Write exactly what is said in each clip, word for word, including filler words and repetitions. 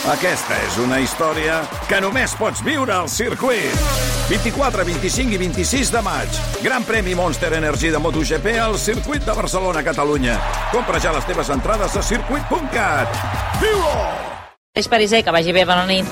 Aquesta és una història que només pots viure al circuit. vint-i-quatre, vint-i-cinc i vint-i-sis de maig. Gran premi Monster Energy de MotoGP al circuit de Barcelona, Catalunya. Compra ja les teves entrades a circuit punt cat. Viu-ho! És Pariser, que vagi bé, bona nit.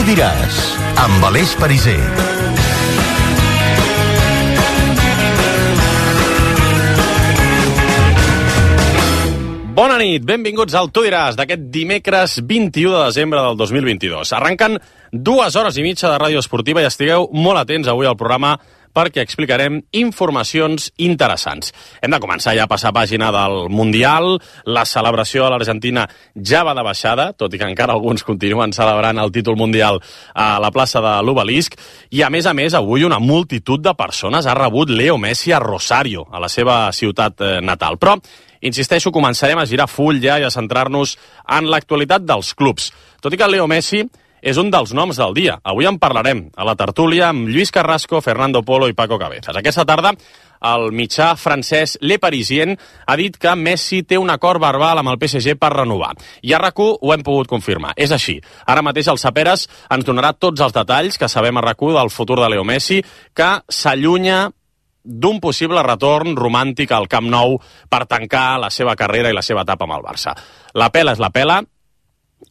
Diràs, amb Aleix Pariser. Bona nit, benvinguts al Tu diràs d'aquest dimecres vint-i-u de desembre del dos mil vint-i-dos. Arrenquen dues hores i mitja de ràdio esportiva i estigueu molt atents avui al programa perquè explicarem informacions interessants. Hem de començar ja a passar pàgina del Mundial. La celebració a l'Argentina ja va de baixada, tot i que encara alguns continuen celebrant el títol mundial a la plaça de l'Obelisc. I a més a més, avui una multitud de persones ha rebut Leo Messi a Rosario, a la seva ciutat natal. Però, insisteixo, començarem a girar full ja i a centrar-nos en l'actualitat dels clubs. Tot i que Leo Messi és un dels noms del dia. Avui en parlarem a la tertúlia amb Lluís Carrasco, Fernando Polo i Paco Cabezas. Aquesta tarda, el mitjà francès Le Parisien ha dit que Messi té un acord verbal amb el P S G per renovar. I a RAC u ho hem pogut confirmar. És així. Ara mateix el Saperes ens donarà tots els detalls que sabem a RAC u del futur de Leo Messi, que s'allunya d'un possible retorn romàntic al Camp Nou per tancar la seva carrera i la seva etapa amb el Barça. La pela és la pela,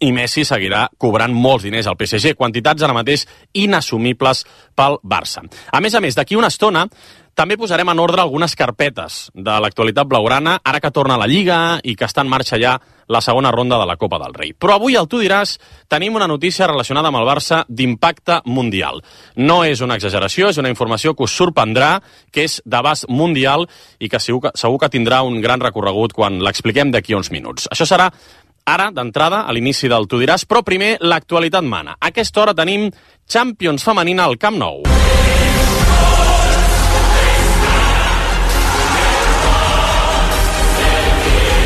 i Messi seguirà cobrant molts diners al P S G, quantitats ara mateix inassumibles pel Barça. A més a més, d'aquí una estona també posarem en ordre algunes carpetes de l'actualitat blaugrana, ara que torna a la Lliga i que està en marxa ja la segona ronda de la Copa del Rei. Però avui, al Tu diràs, tenim una notícia relacionada amb el Barça d'impacte mundial. No és una exageració, és una informació que us sorprendrà, que és d'abast mundial i que segur que, segur que tindrà un gran recorregut quan l'expliquem d'aquí uns minuts. Això serà ara, d'entrada, a l'inici del Tu diràs, però primer l'actualitat mana. A aquesta hora tenim Champions femenina al Camp Nou.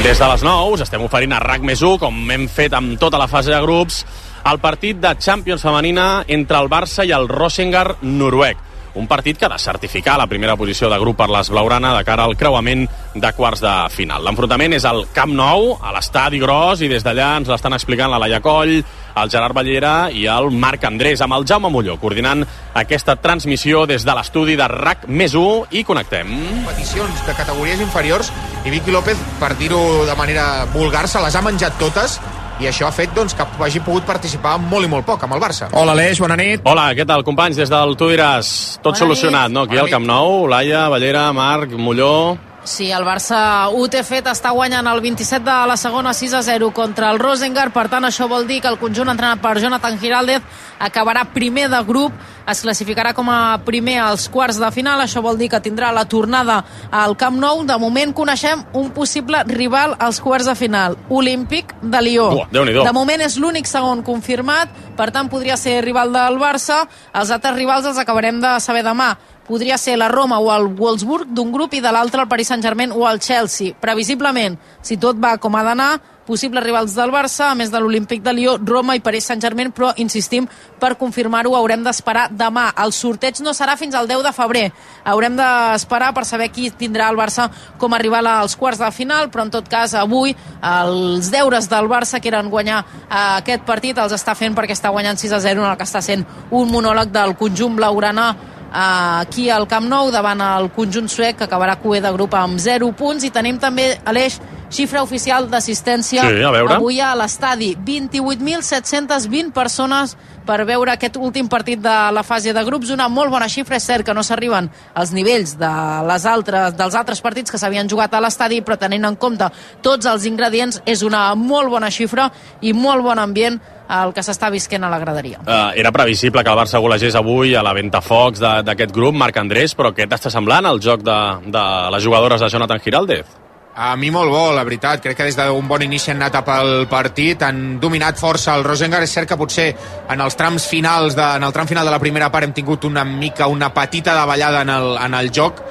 Des de les nou us estem oferint a RAC més u, com hem fet amb tota la fase de grups, el partit de Champions femenina entre el Barça i el Rosengård noruec. Un partit que ha de certificar la primera posició de grup per les blaugrana de cara al creuament de quarts de final. L'enfrontament és al Camp Nou, a l'estadi gros, i des d'allà ens l'estan explicant la Laia Coll, el Gerard Ballera i el Marc Andrés, amb el Jaume Molló, coordinant aquesta transmissió des de l'estudi de RAC més u, i connectem. Peticions de categories inferiors, i Vicky López, per dir-ho de manera vulgar, se les ha menjat totes, i això ha fet doncs, que hagi pogut participar molt i molt poc amb el Barça. Hola, Aleix, bona nit. Hola, què tal, companys? Des del Tu diràs, tot bona solucionat, nit. No? Aquí bona al Camp Nou, Laia, Ballera, Marc, Molló. Sí, el Barça ho té fet, està guanyant el vint-i-set de la segona sis a zero contra el Rosengård, per tant això vol dir que el conjunt entrenat per Jonathan Giraldez acabarà primer de grup, es classificarà com a primer als quarts de final, això vol dir que tindrà la tornada al Camp Nou. De moment coneixem un possible rival als quarts de final, Olímpic de Lió. Uh, Déu-n'hi-do. De moment és l'únic segon confirmat, per tant podria ser rival del Barça, els altres rivals els acabarem de saber demà. Podria ser la Roma o el Wolfsburg d'un grup i de l'altre el Paris Saint-Germain o el Chelsea. Previsiblement, si tot va com ha d'anar, possibles rivals del Barça, a més de l'Olímpic de Lió, Roma i Paris Saint-Germain, però, insistim, per confirmar-ho haurem d'esperar demà. El sorteig no serà fins al deu de febrer. Haurem d'esperar per saber qui tindrà el Barça com a rival als quarts de final, però en tot cas, avui, els deures del Barça, que eren guanyar aquest partit, els està fent perquè està guanyant sis a zero en el que està sent un monòleg del conjunt blaugrana aquí al Camp Nou davant el conjunt suec, que acabarà cuer de grup amb zero punts. I tenim també, Aleix, xifra oficial d'assistència sí, avui a l'estadi, vint-i-vuit mil set-cents vint persones per veure aquest últim partit de la fase de grups, una molt bona xifra. És cert que no s'arriben als nivells de les altres, dels altres partits que s'havien jugat a l'estadi, però tenint en compte tots els ingredients és una molt bona xifra i molt bon ambient el que s'està visquent a la graderia. Uh, era previsible que el Barça golegés avui a la ventafocs d'aquest grup, Marc Andrés, però què t'està semblant el joc de, de les jugadores de Jonathan Giraldez? A mi molt bo, la veritat. Crec que des d'un bon inici han anat pel partit, han dominat força el Rosengard. És cert que potser en els trams finals de, en el tram final de la primera part hem tingut una mica, una petita davallada en el, en el joc,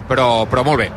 però, però molt bé.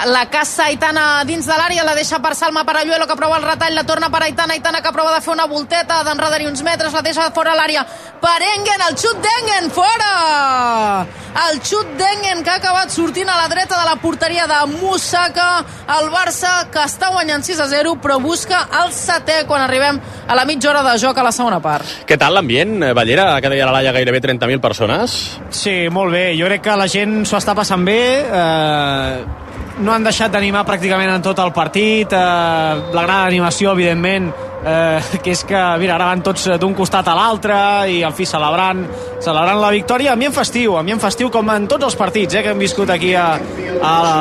La caça Aitana dins de l'àrea, la deixa per Salma Paralluelo, que prova el retall, la torna per Aitana, Aitana que prova de fer una volteta, d'enredar-hi uns metres, la deixa fora l'àrea per Engen, el xut d'Engen, fora! El xut d'Engen que ha acabat sortint a la dreta de la porteria de Moussaka, el Barça que està guanyant sis a zero, però busca el setè quan arribem a la mitja hora de joc a la segona part. Què tal l'ambient, Ballera? Que deia la Laia, gairebé trenta mil persones. Sí, molt bé. Jo crec que la gent s'ho està passant bé. Eh... no han deixat d'animar pràcticament en tot el partit, eh, la gran animació evidentment, eh, que és que mira, ara van tots d'un costat a l'altre i al fi celebrant celebrant la victòria, ambient festiu ambient festiu com en tots els partits eh, que hem viscut aquí a, a la,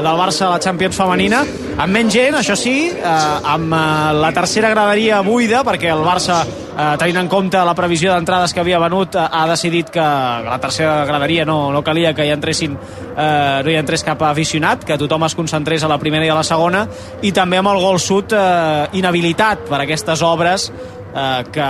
del Barça a la Champions femenina, amb menys gent, això sí, eh, amb eh, la tercera graderia buida, perquè el Barça eh, tenint en compte la previsió d'entrades que havia venut, eh, ha decidit que la tercera graderia no, no calia que hi entressin eh, no hi entrés cap aficionat, que tothom es concentrés a la primera i a la segona, i també amb el gol sud eh, inhabilitat per aquestes obres eh, que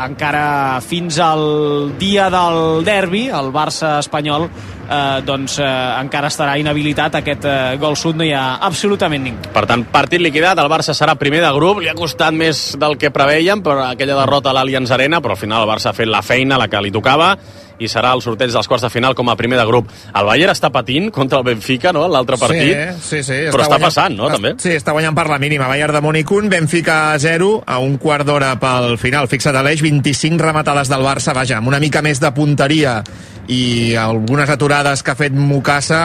encara fins al dia del derbi, el Barça espanyol, eh, doncs eh, encara estarà inhabilitat aquest eh, gol sud, no hi ha absolutament ningú. Per tant, partit liquidat, el Barça serà primer de grup, li ha costat més del que preveiem per aquella derrota a l'Allianz Arena, però al final el Barça ha fet la feina, la que li tocava, i serà el sorteig dels quarts de final com a primer de grup. El Bayern està patint contra el Benfica, no?, l'altre partit, sí, sí, sí, però està, està guanyant, passant, no?, també. Sí, està guanyant per la mínima. Bayern de Múnich un, Benfica zero, a un quart d'hora pel final. Fixa't a l'eix, vint-i-cinc rematades del Barça, vaja, amb una mica més de punteria i algunes aturades que ha fet Mukasa,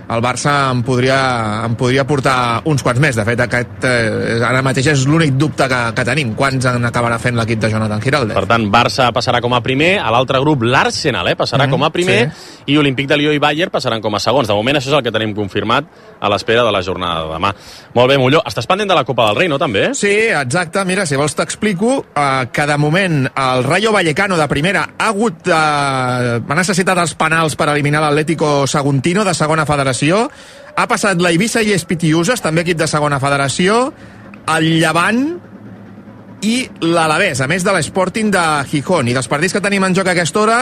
el Barça em podria, em podria portar uns quants més. De fet, aquest eh, ara mateix és l'únic dubte que, que tenim. Quants en acabarà fent l'equip de Jonathan Giraldes? Per tant, Barça passarà com a primer, a l'altre grup l'Arsenal eh, passarà mm, com a primer, sí. I Olímpic de Lió i Bayern passaran com a segons. De moment això és el que tenim confirmat a l'espera de la jornada de demà. Molt bé, Molló, estàs pendent de la Copa del Rei, no, també? Sí, exacte. Mira, si vols t'explico eh, que de moment el Rayo Vallecano de primera ha hagut eh, ha necessitat els penals per eliminar l'Atlético Saguntino de segona federació. Ha passat la Eivissa i Espitiuses, també equip de segona federació, el Llevant i l'Alavés, a més de l'Sporting de Gijón. I dels partits que tenim en joc a aquesta hora,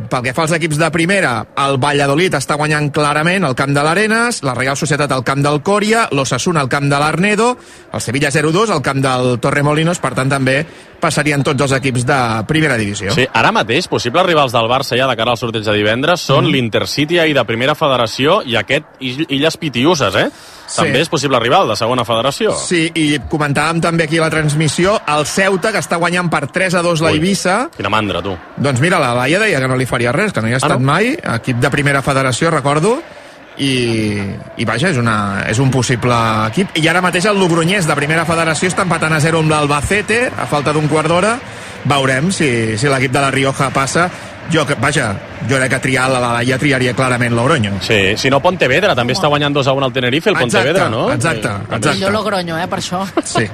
pel que fa als equips de primera, el Valladolid està guanyant clarament al camp de l'Arenas, la Real Societat al camp del Coria, l'Osasuna al camp de l'Arnedo, el Sevilla zero dos al camp del Torremolinos, per tant també passarien tots els equips de primera divisió. Sí, ara mateix, possibles rivals del Barça ja de cara al sorteig de divendres són mm. l'Intercity i de primera federació i aquest Illes Pitiuses, eh? Sí. També és possible rival de segona federació. Sí, i comentàvem també aquí a la transmissió el Ceuta, que està guanyant per tres a dos la Eivissa. Quina mandra, tu. Doncs mira, la Laia deia que no li faria res, que no hi ha estat ah, no? mai, equip de primera federació, recordo, i, i vaja, és, una, és un possible equip. I ara mateix el Logroñés de primera federació està empatant a zero amb l'Albacete a falta d'un quart d'hora. Veurem si, si l'equip de la Rioja passa. Jo, vaja, jo crec que triar la Laia triaria clarament Logroño. Sí, si no Pontevedra, també està guanyant dos a un al Tenerife, el Pontevedra, exacte, no? Exacte, exacte. Millor Logroño, eh, per això. Sí,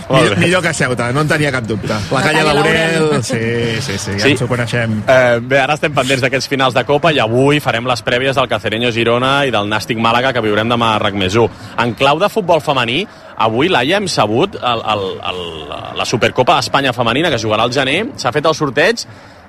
millor, millor que Ceuta, no en tenia cap dubte. La, la Calle Laurel, sí, sí, sí, ja sí. ens ho coneixem. Eh, bé, ara estem pendents d'aquests finals de Copa i avui farem les prèvies del Cacereño Girona i del Nàstic Màlaga que viurem demà a RAC més u. En clau de futbol femení, avui, Laia, hem sabut el, el, el, la Supercopa d'Espanya femenina que jugarà al gener, s'ha fet el sorteig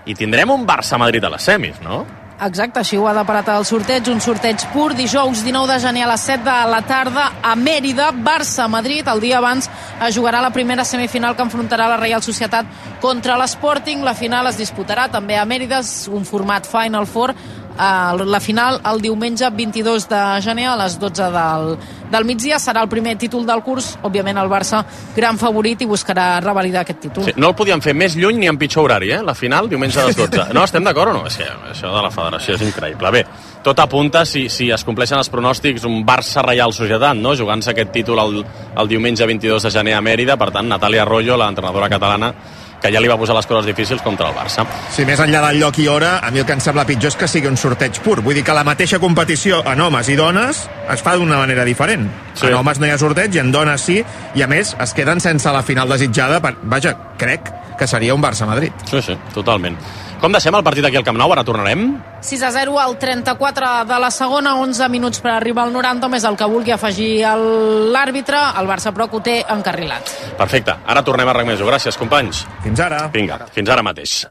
i tindrem un Barça-Madrid a les semis, no? Exacte, així ho ha deparat el sorteig, un sorteig pur, dijous dinou de gener a les set de la tarda a Mèrida, Barça-Madrid. El dia abans es jugarà la primera semifinal que enfrontarà la Real Societat contra l'Sporting. La final es disputarà també a Mèrida, un format Final Four. La final el diumenge vint-i-dos de gener a les dotze del, del migdia. Serà el primer títol del curs. Òbviament el Barça gran favorit i buscarà revalidar aquest títol. Sí, no el podíem fer més lluny ni en pitjor horari, eh? La final, diumenge a les dotze. No, estem d'acord o no? És que això de la federació és increïble. Bé, tot apunta, si, si es compleixen els pronòstics, un Barça-Reial Societat, no? Jugant-se aquest títol el, el diumenge vint-i-dos de gener a Mèrida. Per tant, Natàlia Arroyo, l'entrenadora catalana, que ja li va posar les coses difícils contra el Barça. Sí, més enllà del lloc i hora, a mi el que em sembla pitjor és que sigui un sorteig pur. Vull dir que la mateixa competició en homes i dones es fa d'una manera diferent. Sí. En homes no hi ha sorteig i en dones sí, i a més es queden sense la final desitjada. Per... Vaja, crec que seria un Barça-Madrid. Sí, sí, totalment. Com deixem el partit aquí al Camp Nou? Ara tornarem. sis a zero al trenta-quatre de la segona, onze minuts per arribar al noranta, més el que vulgui afegir l'àrbitre, el Barça però que ho té encarrilat. Perfecte, ara tornem a RAC més u. Gràcies, companys. Fins ara. Vinga, fins ara mateix.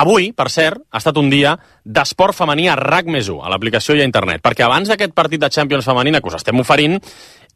Avui, per cert, ha estat un dia d'esport femení a RAC més u, a l'aplicació i a internet, perquè abans d'aquest partit de Champions femenina que us estem oferint,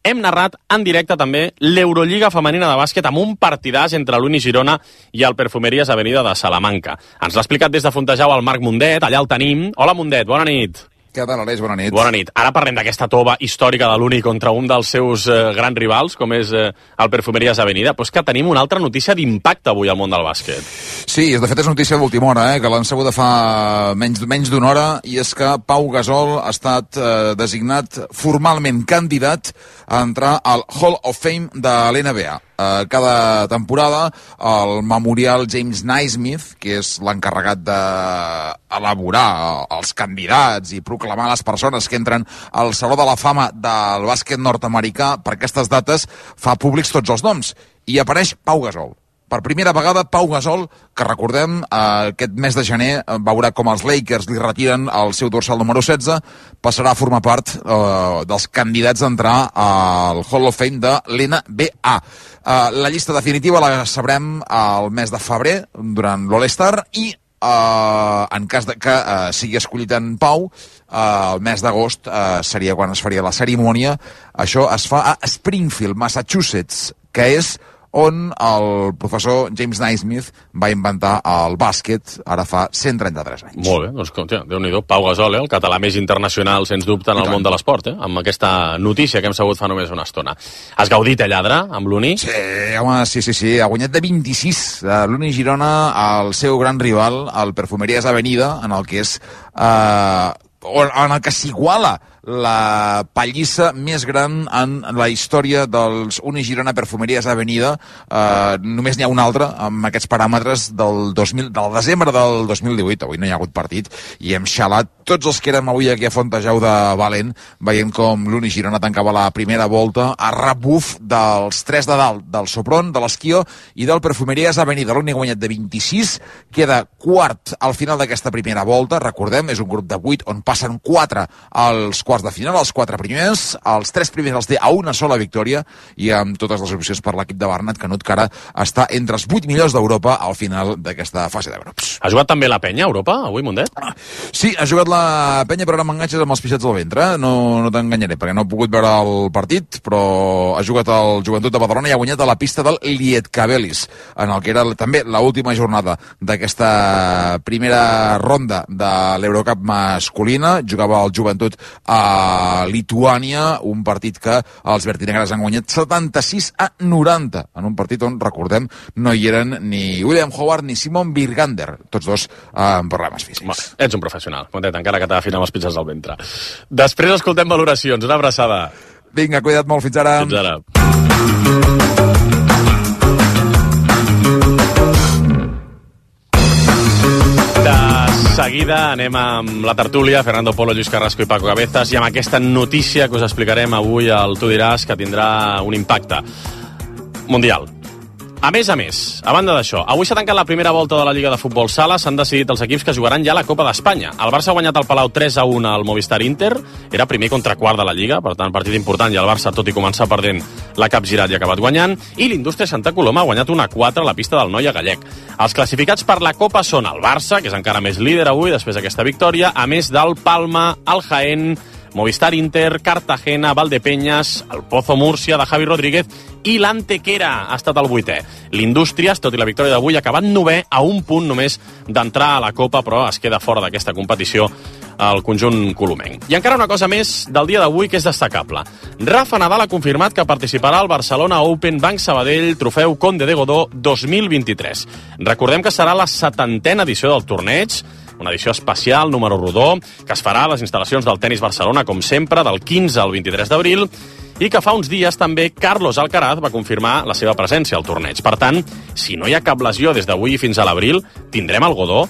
hem narrat en directe també l'Eurolliga femenina de bàsquet amb un partidàs entre l'Uni Girona i el Perfumeries Avenida de Salamanca. Ens l'ha explicat des de Fontejau el Marc Mundet, allà el tenim. Hola, Mundet, bona nit. Què tal, Aleix? Bona nit. Bona nit. Ara parlem d'aquesta tova històrica de l'Uni contra un dels seus eh, grans rivals, com és eh, el Perfumeries Avenida, però és que tenim una altra notícia d'impacte avui al món del bàsquet. Sí, de fet és notícia d'última hora, eh, que l'han sabut de fa menys, menys d'una hora, i és que Pau Gasol ha estat eh, designat formalment candidat a entrar al Hall of Fame de l'N B A. Uh, cada temporada el Memorial James Naismith, que és l'encarregat d'elaborar els candidats i proclamar les persones que entren al Saló de la Fama del bàsquet nord-americà, per aquestes dates fa públics tots els noms, i apareix Pau Gasol. Per primera vegada, Pau Gasol, que recordem, eh, aquest mes de gener eh, veurà com els Lakers li retiren el seu dorsal número setze, passarà a formar part eh, dels candidats a entrar al Hall of Fame de l'N B A. Eh, la llista definitiva la sabrem al mes de febrer, durant l'All-Star, i eh, en cas de que eh, sigui escollit en Pau, eh, el mes d'agost eh, seria quan es faria la cerimònia. Això es fa a Springfield, Massachusetts, que és on el professor James Naismith va inventar el bàsquet ara fa cent trenta-tres anys. Molt bé, doncs, tia, Déu-n'hi-do, Pau Gasol, eh, el català més internacional, sens dubte, en el món de l'esport, eh, amb aquesta notícia que hem sabut fa només una estona. Has gaudit, eh, lladre, amb l'Uni? Sí, home, sí, sí, sí, ha guanyat de vint-i-sis l'Uni Girona al seu gran rival, el Perfumeries Avenida, en el que és... Eh, en el que s'iguala la pallissa més gran en la història dels Uni Girona Perfumeries Avenida. Eh, només n'hi ha una altra amb aquests paràmetres del, dos mil, del desembre del dos mil divuit. Avui no hi ha hagut partit i hem xalat tots els que érem avui aquí a Fontejau de Valent, veient com l'Uni Girona tancava la primera volta a rebuf dels tres de dalt, del Sopron, de l'Esquio i del Perfumeries Avenida. L'Uni ha guanyat de vint-i-sis, queda quart al final d'aquesta primera volta. Recordem, és un grup de vuit on passen quatre als quarts de final, els quatre primers, els tres primers els té a una sola victòria i amb totes les opcions per l'equip de Bernat Canut, que ara està entre els vuit millors d'Europa al final d'aquesta fase de grups. Ha jugat també la penya a Europa, avui, Mundet? Sí, ha jugat la penya, però ara m'enganxes amb els pixats al ventre. No, no t'enganyaré, perquè no he pogut veure el partit, però ha jugat el Joventut de Badalona i ha guanyat a la pista del Lietkabelis, en el que era també l'última jornada d'aquesta primera ronda de l'Eurocup masculina. Jugava el Joventut a Lituània, un partit que els vertinegres han guanyat setanta-sis a noranta, en un partit on, recordem, no hi eren ni William Howard ni Simon Birgander, tots dos amb problemes físics. Va, ets un professional, Montet, encara que t'agafin amb els pitjats al ventre. Després escoltem valoracions, una abraçada. Vinga, cuida't molt, fins ara. Fins ara. Seguida anem amb la tertúlia, Fernando Polo, Lluís Carrasco i Paco Cabezas, i amb aquesta notícia que us explicarem avui al Tu diràs, que tindrà un impacte mundial. A més a més, a banda d'això, avui s'ha tancat la primera volta de la Lliga de Futbol Sala, s'han decidit els equips que jugaran ja a la Copa d'Espanya. El Barça ha guanyat al Palau tres a un al Movistar Inter, era primer contra quart de la Lliga, per tant, partit important, i el Barça, tot i començar perdent, l'ha capgirat i ha acabat guanyant, i l'Indústria Santa Coloma ha guanyat un a quatre a la pista del Noia Gallec. Els classificats per la Copa són el Barça, que és encara més líder avui, després d'aquesta victòria, a més del Palma, el Jaén, Movistar Inter, Cartagena, Valdepeñas, el Pozo Múrcia de Javi Rodríguez i l'Antequera ha estat el vuitè. L'Indústries, tot i la victòria d'avui, ha acabat novè a un punt només d'entrar a la Copa, però es queda fora d'aquesta competició al conjunt colomenc. I encara una cosa més del dia d'avui que és destacable. Rafa Nadal ha confirmat que participarà al Barcelona Open Banc Sabadell Trofeu Conde de Godó dos mil vint-i-tres. Recordem que serà la setantena edició del torneig, una edició especial, número rodó, que es farà a les instal·lacions del Tenis Barcelona, com sempre, del quinze al vint-i-tres d'abril, i que fa uns dies també Carlos Alcaraz va confirmar la seva presència al torneig. Per tant, si no hi ha cap lesió des d'avui fins a l'abril, tindrem el Godó,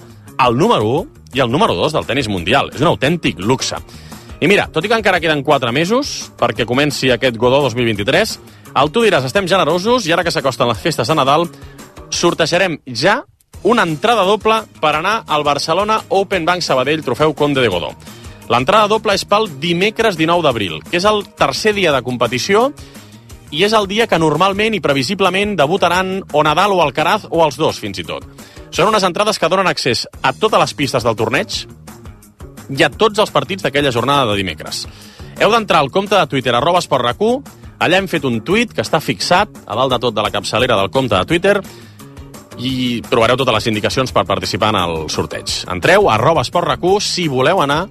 el número u i el número dos del tenis mundial. És un autèntic luxe. I mira, tot i que encara queden quatre mesos perquè comenci aquest Godó dos mil vint-i-tres, al Tu diràs, estem generosos, i ara que s'acosten les festes de Nadal, sortejarem ja una entrada doble per anar al Barcelona Open Bank Sabadell Trofeu Conde de Godó. L'entrada doble és pel dimecres dinou d'abril, que és el tercer dia de competició i és el dia que normalment i previsiblement debutaran o Nadal o Alcaraz o els dos, fins i tot. Són unes entrades que donen accés a totes les pistes del torneig i a tots els partits d'aquella jornada de dimecres. Heu d'entrar al compte de Twitter, arroba Esport RAC u. Allà hem fet un tuit que està fixat a dalt de tot de la capçalera del compte de Twitter i trobareu totes les indicacions per participar en el sorteig. Entreu a arroba Esport RAC u si voleu anar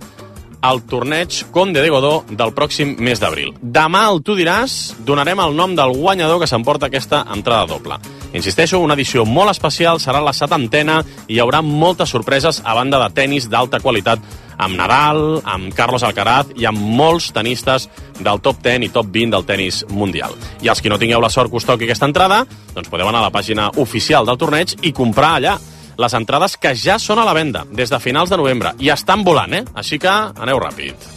al torneig Conde de Godó del pròxim mes d'abril. Demà, al Tu diràs, donarem el nom del guanyador que s'emporta aquesta entrada doble. Insisteixo, una edició molt especial, serà la setantena i hi haurà moltes sorpreses a banda de tenis d'alta qualitat amb Nadal, amb Carlos Alcaraz i amb molts tenistes del top deu i top vint del tenis mundial. I els que no tingueu la sort que us toqui aquesta entrada, doncs podeu anar a la pàgina oficial del torneig i comprar allà les entrades que ja són a la venda des de finals de novembre i estan volant, eh? Així que aneu ràpid.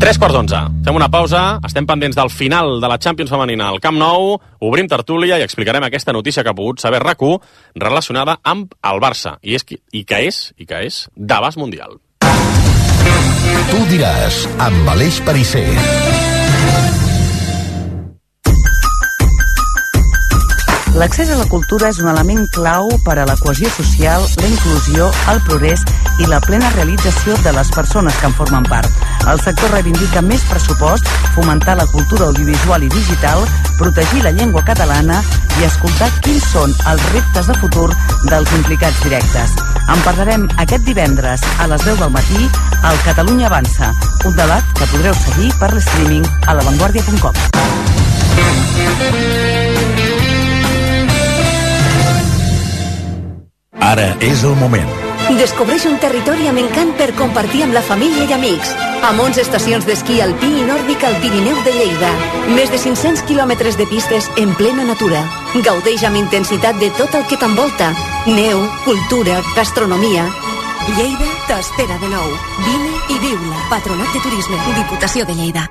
Tres quarts d'onze. Fem una pausa. Estem pendents del final de la Champions femenina al Camp Nou. Obrim tertúlia i explicarem aquesta notícia que ha pogut saber RAC u relacionada amb el Barça. I, és, i que és, i que és d'abast mundial. Tu diràs, amb Aleix Perisser. L'accés a la cultura és un element clau per a la cohesió social, la inclusió, el progrés i la plena realització de les persones que en formen part. El sector reivindica més pressupost, fomentar la cultura audiovisual i digital, protegir la llengua catalana i escoltar quins són els reptes de futur dels implicats directes. En parlarem aquest divendres a les deu del matí al Catalunya Avança, un debat que podreu seguir per l'streaming a lavanguardia punt com. Ara és el moment. Descobreix un territori amb encant per compartir amb la família i amics. Amb onze estacions d'esquí alpí i nòrdic al Pirineu de Lleida. Més de cinc-cents quilòmetres de pistes en plena natura. Gaudeix amb intensitat de tot el que t'envolta. Neu, cultura, gastronomia. Lleida t'espera de nou. Vine i viu-la. Patronat de Turisme. Diputació de Lleida.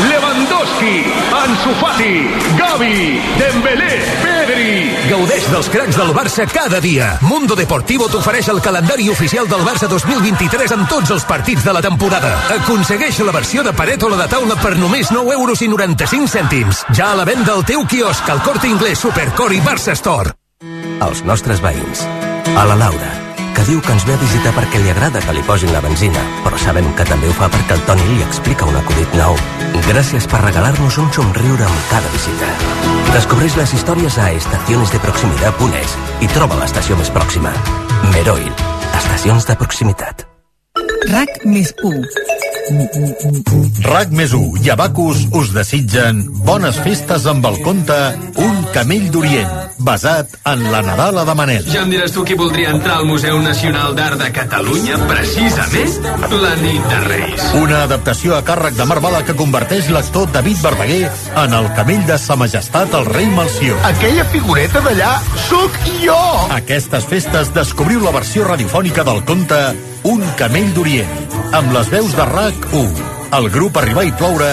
Lewandowski, Ansu Fati, Gavi, Dembélé, Pedri. Gaudeix dels cracs del Barça cada dia. Mundo Deportivo t'ofereix el calendari oficial del Barça dos mil vint-i-tres amb tots els partits de la temporada. Aconsegueix la versió de paret o la de taula per només nou euros i noranta-cinc cèntims. Ja a la venda al teu quiosc, al Corte Inglés, Supercor i Barça Store. Els nostres veïns. A la Laura, que diu que ens ve a visitar perquè li agrada que li posin la benzina, però sabem que també ho fa perquè el Toni li explica un acudit nou. Gràcies per regalar-nos un somriure amb cada visita. Descobreix les històries a estaciones de proximidad punt es i troba l'estació més pròxima. Meroil, estacions de proximitat. RAC més u. RAC més u i Abacus us desitgen bones festes amb el conte Un camell d'Orient, basat en la Nadala de Manel. Ja em diràs tu qui voldria entrar al Museu Nacional d'Art de Catalunya, precisament la nit de Reis. Una adaptació a càrrec de Marc Bala que converteix l'actor David Verdaguer en el camell de Sa Majestat el rei Melcior. Aquella figureta d'allà sóc jo! Aquestes festes descobriu la versió radiofònica del conte Un camell d'Orient, amb les veus de RAC u, el grup Arribar i Ploure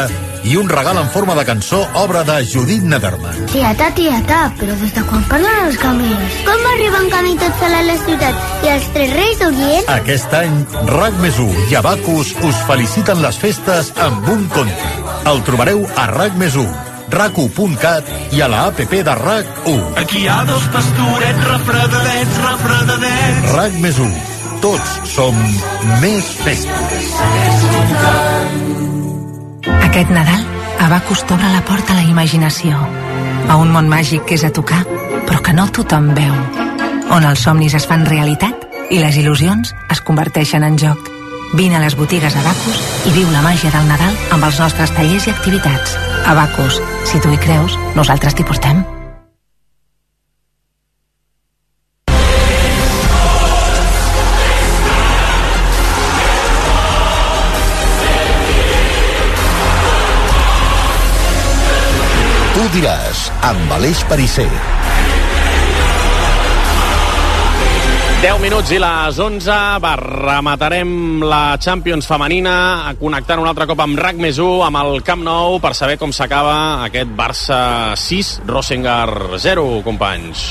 i un regal en forma de cançó, obra de Judit Nederman. Tieta, tieta, però des de quan parlen els camells? Com arriben camí tot sol a la ciutat i els tres reis d'Orient? Aquest any, RAC més u i Abacus us feliciten les festes amb un conte. El trobareu a RAC més u, rac u punt cat i a la app de RAC u. Aquí hi ha dos pastorets refredadets, refredadets. RAC més u. Tots som més festes. Aquest Nadal, Abacus t'obre la porta a la imaginació, a un món màgic que és a tocar, però que no tothom veu, on els somnis es fan realitat i les il·lusions es converteixen en joc. Vine a les botigues Abacus i viu la màgia del Nadal amb els nostres tallers i activitats. Abacus, si tu hi creus, nosaltres t'hi portem. Tu diràs, amb Aleix Perisser. deu minuts i les onze, va, rematarem la Champions femenina, connectant un altre cop amb RAC més u, amb el Camp Nou, per saber com s'acaba aquest Barça sis, Rosengard zero, companys.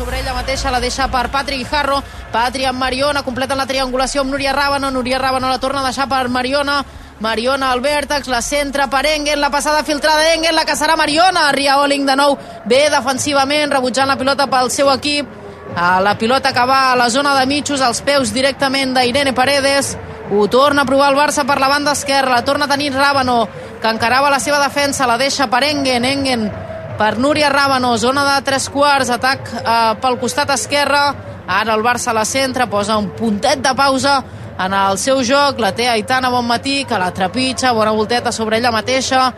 sobre ella mateixa, la deixa per Patri Guijarro. Patri amb Mariona, completen la triangulació amb Núria Rábano. Núria Rábano la torna a deixar per Mariona. Mariona al vèrtex, la centra per Engen, la passada filtrada d'Engen, la que serà Mariona. Riaoling de nou bé defensivament, rebutjant la pilota pel seu equip. La pilota que va a la zona de mitjos, als peus directament d'Irene Paredes. Ho torna a provar el Barça per la banda esquerra, la torna a tenir Rábano, que encarava la seva defensa, la deixa per Engen, Engen per Núria Rábano, zona de tres quarts, atac eh, pel costat esquerre. Ara el Barça a la centra, posa un puntet de pausa en el seu joc, la té Aitana Bonmatí, que la trepitja, bona volteta sobre ella mateixa,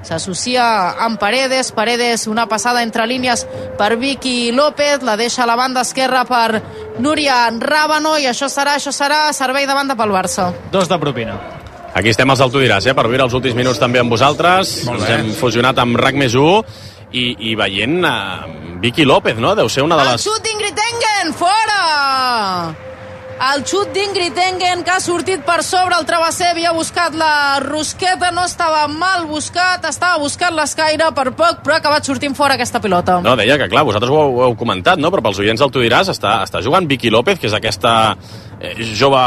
s'associa amb Paredes, Paredes una passada entre línies per Vicky López, la deixa a la banda esquerra per Núria Rábano, i això serà, això serà servei de banda pel Barça. Dos de propina. Aquí estem els del Tu diràs, eh, per viure els últims minuts també amb vosaltres. Ens hem fusionat amb RAC més u i, i veient uh, Vicky López, no? Deu ser una de les... El xut d'Ingrid Engen, fora! El xut d'Ingrid Engen, que ha sortit per sobre el travesser, havia buscat la rosqueta, no estava mal buscat, estava buscant l'escaire per poc, però ha acabat sortint fora aquesta pilota. No, deia que, clar, vosaltres ho heu, ho heu comentat, no? Però pels oients del Tu diràs està, està jugant Vicky López, que és aquesta eh, jove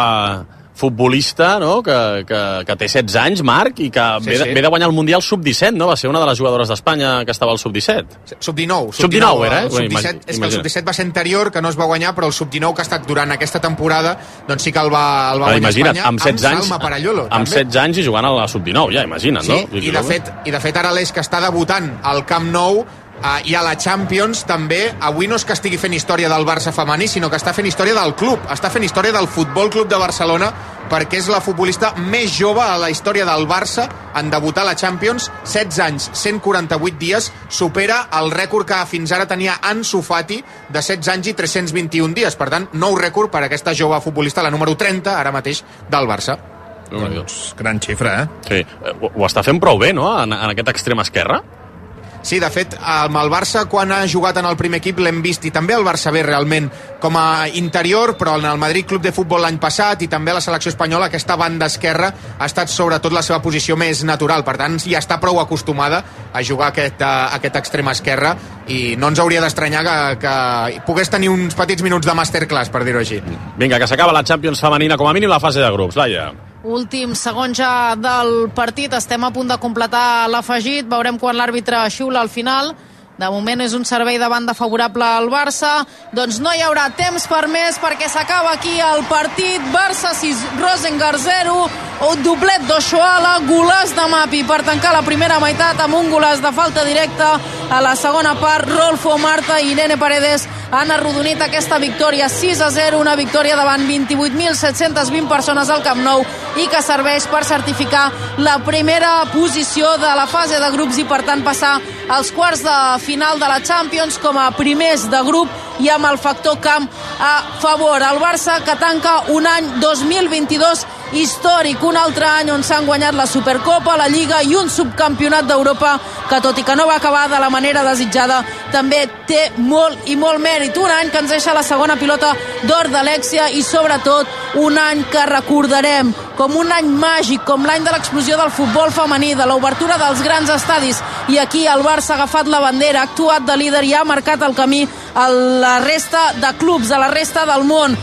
futbolista, no? que, que, que té setze anys, Marc, i que sí, ve, de, sí. ve de guanyar el Mundial sub disset, no? Va ser una de les jugadores d'Espanya que estava al sub disset. sub dinou. sub dinou era, eh? sub disset, és que el sub disset va ser anterior, que no es va guanyar, però el sub dinou que ha estat durant aquesta temporada, doncs sí que el va, el va ah, guanyar imagina't, Espanya, amb setze anys, Salma Parallolo. Amb setze anys i jugant a la sub dinou, ja, imagina't, sí, no? I de, fet, I de fet ara l'Eix, que està debutant al Camp Nou, Uh, i a la Champions també, avui no és que estigui fent història del Barça femení, sinó que està fent història del club, està fent història del Futbol Club de Barcelona, perquè és la futbolista més jove a la història del Barça en debutar a la Champions, setze anys, cent quaranta-vuit dies, supera el rècord que fins ara tenia Ansu Fati, de setze anys i tres-cents vint-i-un dies. Per tant, nou rècord per aquesta jove futbolista, la número trenta, ara mateix, del Barça. Doncs, gran xifra, eh? Sí, ho, ho està fent prou bé, no?, en, en aquest extrem esquerre. Sí, de fet, amb el Barça, quan ha jugat en el primer equip, l'hem vist, i també el Barça bé, realment, com a interior, però en el Madrid Club de Futbol l'any passat, i també a la selecció espanyola, aquesta banda esquerra ha estat sobretot la seva posició més natural. Per tant, ja està prou acostumada a jugar aquest, a, aquest extrem esquerre, i no ens hauria d'estranyar que, que pogués tenir uns petits minuts de masterclass, per dir-ho així. Vinga, que s'acaba la Champions femenina, com a mínim la fase de grups. Laia. Últim segon ja del partit, estem a punt de completar l'afegit, veurem quan l'àrbitre xiula al final. De moment és un servei de banda favorable al Barça, doncs no hi haurà temps per més, perquè s'acaba aquí el partit. Barça sis, Rosengar zero, un doblet d'Oshoala, golaç de Mapi per tancar la primera meitat amb un golaç de falta directa. A la segona part, Rolfo Marta i Irene Paredes han arrodonit aquesta victòria sis a zero, una victòria davant vint-i-vuit mil set-cents vint persones al Camp Nou, i que serveix per certificar la primera posició de la fase de grups i per tant passar als quarts de final de la Champions com a primers de grup i amb el factor camp a favor. El Barça, que tanca un any dos mil vint-i-dos històric, un altre any on s'han guanyat la Supercopa, la Lliga i un subcampionat d'Europa que, tot i que no va acabar de la manera desitjada, també té molt i molt mèrit. Un any que ens deixa la segona pilota d'or d'Alexia i sobretot un any que recordarem com un any màgic, com l'any de l'explosió del futbol femení, de l'obertura dels grans estadis, i aquí el Barça ha agafat la bandera, ha actuat de líder i ha marcat el camí a la resta de clubs, a la resta del món.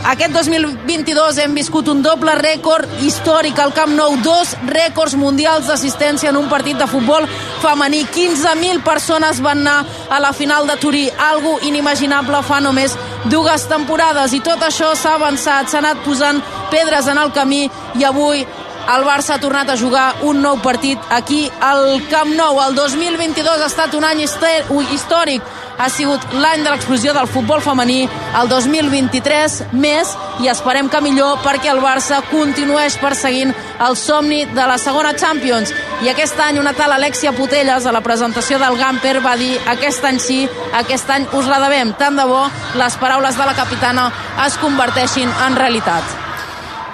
Aquest dos mil vint-i-dos hem viscut un doble rècord històric al Camp Nou, dos rècords mundials d'assistència en un partit de futbol femení. quinze mil persones van anar a la final de Turí, algo inimaginable fa només dues temporades, i tot això s'ha avançat, s'ha anat posant pedres en el camí, i avui el Barça ha tornat a jugar un nou partit aquí al Camp Nou. El dos mil vint-i-dos ha estat un any històric, ha sigut l'any de l'explosió del futbol femení. El dos mil vint-i-tres més, i esperem que millor, perquè el Barça continueix perseguint el somni de la segona Champions. I aquest any una tal Alexia Putellas, a la presentació del Gamper, va dir: aquest any sí, aquest any us la devem. Tant de bo les paraules de la capitana es converteixin en realitat.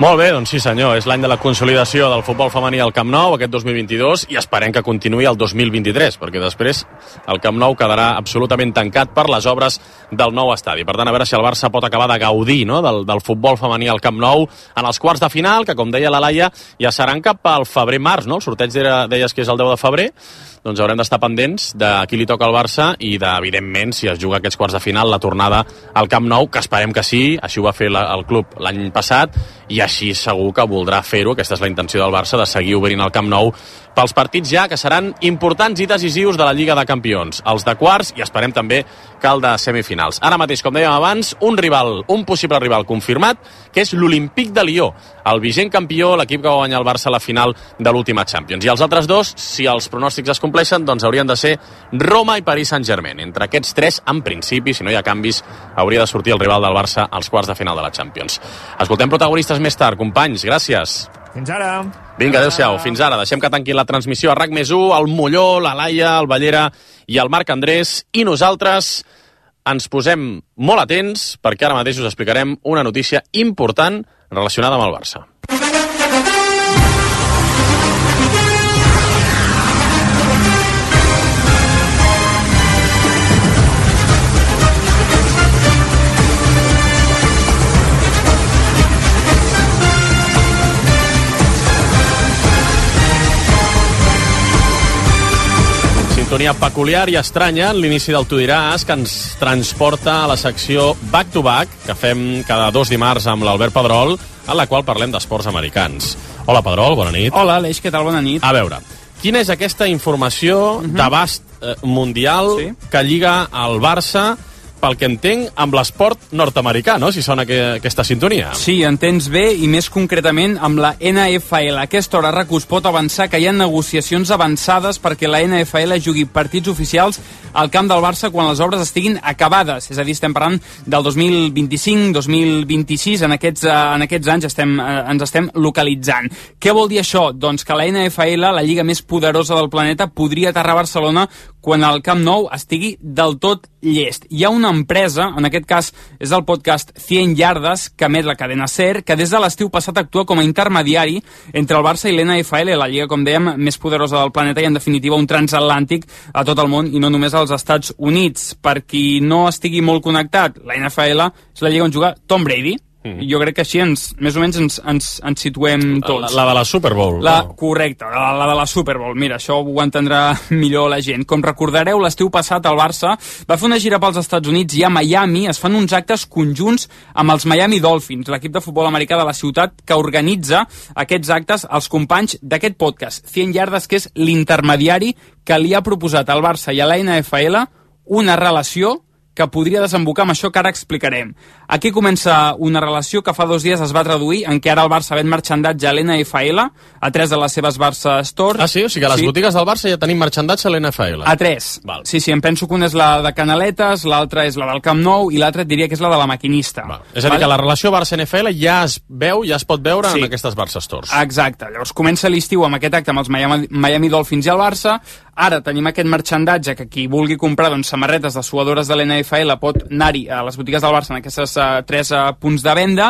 Molt bé, doncs sí senyor, és l'any de la consolidació del futbol femení al Camp Nou, aquest dos mil vint-i-dos, i esperem que continuï el dos mil vint-i-tres, perquè després el Camp Nou quedarà absolutament tancat per les obres del nou estadi. Per tant, a veure si el Barça pot acabar de gaudir, no?, del, del futbol femení al Camp Nou en els quarts de final, que com deia la Laia, ja seran cap al febrer-març, no? El sorteig era, deies que és el deu de febrer, doncs haurem d'estar pendents de qui li toca al Barça i de, evidentment, si es juga aquests quarts de final, la tornada al Camp Nou, que esperem que sí, així ho va fer la, el club l'any passat, i així segur que voldrà fer-ho, aquesta és la intenció del Barça, de seguir obrint el Camp Nou pels partits ja que seran importants i decisius de la Lliga de Campions, els de quarts i esperem també que el de semifinals. Ara mateix, com dèiem abans, un rival, un possible rival confirmat, que és l'Olímpic de Lió, el vigent campió, l'equip que va guanyar el Barça a la final de l'última Champions. I els altres dos, si els pronòstics es compleixen, doncs haurien de ser Roma i Paris Saint-Germain. Entre aquests tres, en principi, si no hi ha canvis, hauria de sortir el rival del Barça als quarts de final de la Champions. Escoltem protagonistes més tard. Companys, gràcies. Fins ara. Vinga, adéu-siau. Fins ara. Deixem que tanqui la transmissió a RAC més u, el Molló, la Laia, el Ballera i el Marc Andrés. I nosaltres ens posem molt atents perquè ara mateix us explicarem una notícia important relacionada amb el Barça. Sintonia peculiar i estranya en l'inici del Tu diràs, que ens transporta a la secció Back to Back, que fem cada dos dimarts amb l'Albert Pedrol, en la qual parlem d'esports americans. Hola, Pedrol, bona nit. Hola, Aleix, què tal? Bona nit. A veure, quina és aquesta informació uh-huh. d'abast eh, mundial sí. que lliga al Barça, pel que entenc, amb l'esport nord-americà, no?, si sona que, aquesta sintonia. Sí, entens bé, i més concretament amb la N F L. A aquesta hora RAC us pot avançar que hi ha negociacions avançades perquè la N F L jugui partits oficials al camp del Barça quan les obres estiguin acabades. És a dir, estem parlant del dos mil vint-i-cinc, dos mil vint-i-sis, en aquests, en aquests anys estem, ens estem localitzant. Què vol dir això? Doncs que la N F L, la lliga més poderosa del planeta, podria aterrar a Barcelona quan el Camp Nou estigui del tot llest. Hi ha una empresa, en aquest cas és el podcast cent Yardes, que emet la cadena SER, que des de l'estiu passat actua com a intermediari entre el Barça i l'N F L, la lliga, com dèiem, més poderosa del planeta i, en definitiva, un transatlàntic a tot el món i no només als Estats Units. Per qui no estigui molt connectat, la N F L és la lliga on juga Tom Brady. Mm-hmm. Jo crec que així ens, més o menys ens, ens, ens situem tots. La, la de la Super Bowl. La, no? Correcte, la, la de la Super Bowl. Mira, això ho entendrà millor la gent. Com recordareu, l'estiu passat el Barça va fer una gira pels Estats Units i a Miami es fan uns actes conjunts amb els Miami Dolphins, l'equip de futbol americà de la ciutat que organitza aquests actes als companys d'aquest podcast, cent Yardes, que és l'intermediari que li ha proposat al Barça i a la N F L una relació que podria desembocar amb això que ara explicarem. Aquí comença una relació que fa dos dies es va traduir en què ara el Barça ven marxandatge a l'N F L, a tres de les seves Barça Stores. Ah, sí? O sigui que a les sí. botigues del Barça ja tenim marxandatge a l'N F L. A tres. Val. Sí, sí, em penso que una és la de Canaletes, l'altra és la del Camp Nou i l'altra et diria que és la de la Maquinista. Val. És a dir, Val? que la relació Barça-N F L ja es veu, ja es pot veure sí. en aquestes Barça Stores. Exacte. Llavors comença l'estiu amb aquest acte amb els Miami, Miami Dolphins i el Barça. Ara tenim aquest marxandatge que qui vulgui comprar doncs, samarretes de suadores de l'N F L pot anar-hi a les botigues del Barça en aquestes uh, tres uh, punts de venda,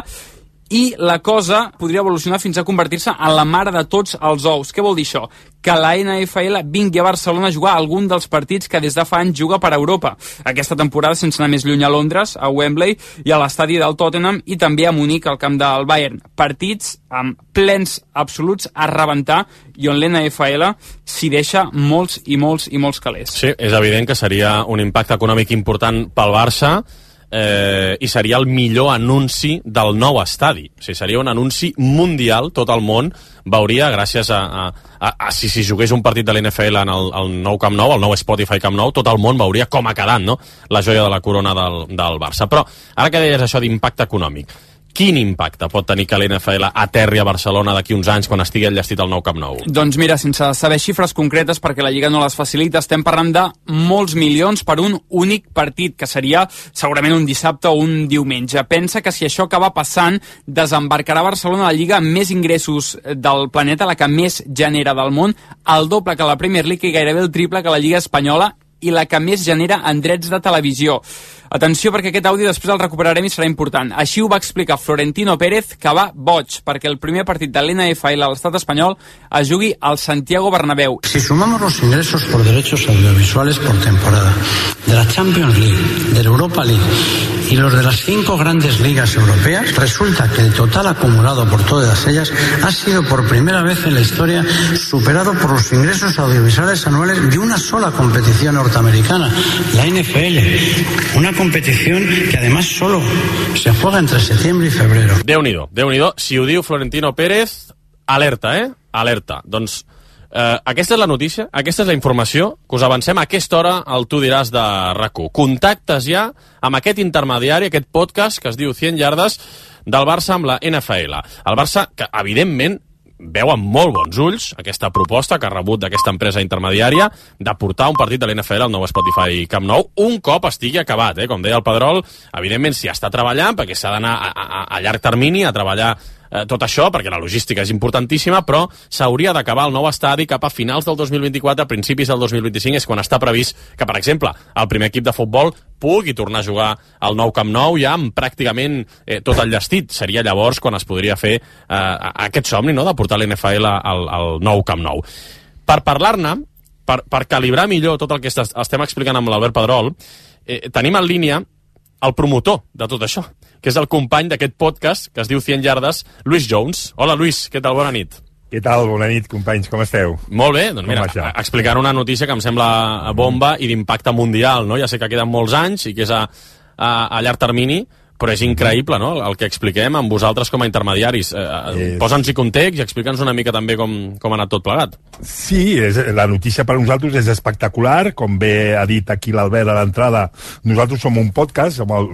i la cosa podria evolucionar fins a convertir-se en la mare de tots els ous. Què vol dir això? Que la N F L vingui a Barcelona a jugar algun dels partits que des de fa anys juga per Europa. Aquesta temporada, sense anar més lluny, a Londres, a Wembley i a l'estadi del Tottenham, i també a Munic, al camp del Bayern. Partits amb plens absoluts a rebentar i on l'N F L s'hi deixa molts i molts i molts calés. Sí, és evident que seria un impacte econòmic important pel Barça, Eh, i seria el millor anunci del nou estadi. O sigui, seria un anunci mundial, tot el món veuria, gràcies a, a, a, a si s'hi jugués un partit de l'N F L en el, el nou Camp Nou, el nou Spotify Camp Nou, tot el món veuria com ha quedat, no?, la joia de la corona del, del Barça. Però, ara que deies això d'impacte econòmic, quin impacte pot tenir que l'N F L aterri a Barcelona d'aquí uns anys quan estigui enllestit el nou Camp Nou? Doncs mira, sense saber xifres concretes perquè la Lliga no les facilita, estem parlant de molts milions per un únic partit, que seria segurament un dissabte o un diumenge. Pensa que si això acaba passant, desembarcarà Barcelona la Lliga amb més ingressos del planeta, la que més genera del món, el doble que la Premier League i gairebé el triple que la Lliga espanyola, i la que més genera en drets de televisió. Atenció, perquè aquest àudio després el recuperarem i serà important. Així ho va explicar Florentino Pérez, que va boig perquè el primer partit de l'N F L a l'estat espanyol es jugui al Santiago Bernabéu. Si sumamos los ingresos por derechos audiovisuales por temporada de la Champions League, de la Europa League y los de las cinco grandes ligas europeas, resulta que el total acumulado por todas ellas ha sido por primera vez en la historia superado por los ingresos audiovisuales anuales de una sola competición norteamericana, la N F L. Una competición que además solo se juega entre septiembre y febrero. Déu-n'hi-do, Déu-n'hi-do. Si ho diu Florentino Pérez, alerta, eh? Alerta. Doncs eh, aquesta és la notícia, aquesta és la informació que us avancem a aquesta hora al Tu diràs de R A C u. Contactes ja amb aquest intermediari, aquest podcast que es diu cent yardes del Barça amb la N F L. El Barça, que evidentment veu amb molt bons ulls aquesta proposta que ha rebut d'aquesta empresa intermediària de portar un partit de l'N F L al nou Spotify Camp Nou un cop estigui acabat, eh? Com deia el Pedrol, evidentment s'hi està treballant perquè s'ha d'anar a, a, a llarg termini a treballar eh, tot això, perquè la logística és importantíssima, però s'hauria d'acabar el nou estadi cap a finals del dos mil vint-i-quatre, a principis del dos mil vint-i-cinc, és quan està previst que, per exemple, el primer equip de futbol pugui tornar a jugar al nou Camp Nou ja amb pràcticament eh, tot el llestit. Seria llavors quan es podria fer eh, aquest somni, no?, de portar l'N F L al, al nou Camp Nou. Per parlar-ne, per, per calibrar millor tot el que est estem explicant amb l'Albert Pedrol, eh, tenim en línia el promotor de tot això, que és el company d'aquest podcast que es diu cent yardes, Luis Jones. Hola, Luis, què tal? Bona nit. Què tal? Bona nit, companys, com esteu? Molt bé, doncs mira, explicar una notícia que em sembla bomba i d'impacte mundial, no? Ja sé que queden molts anys i que és a, a, a llarg termini, però és increïble, no?, el que expliquem amb vosaltres com a intermediaris. Eh, Posa'ns-hi context i explica'ns una mica també com, com ha anat tot plegat. Sí, és, la notícia per nosaltres és espectacular, com bé ha dit aquí l'Albert a l'entrada. Nosaltres som un podcast, som el,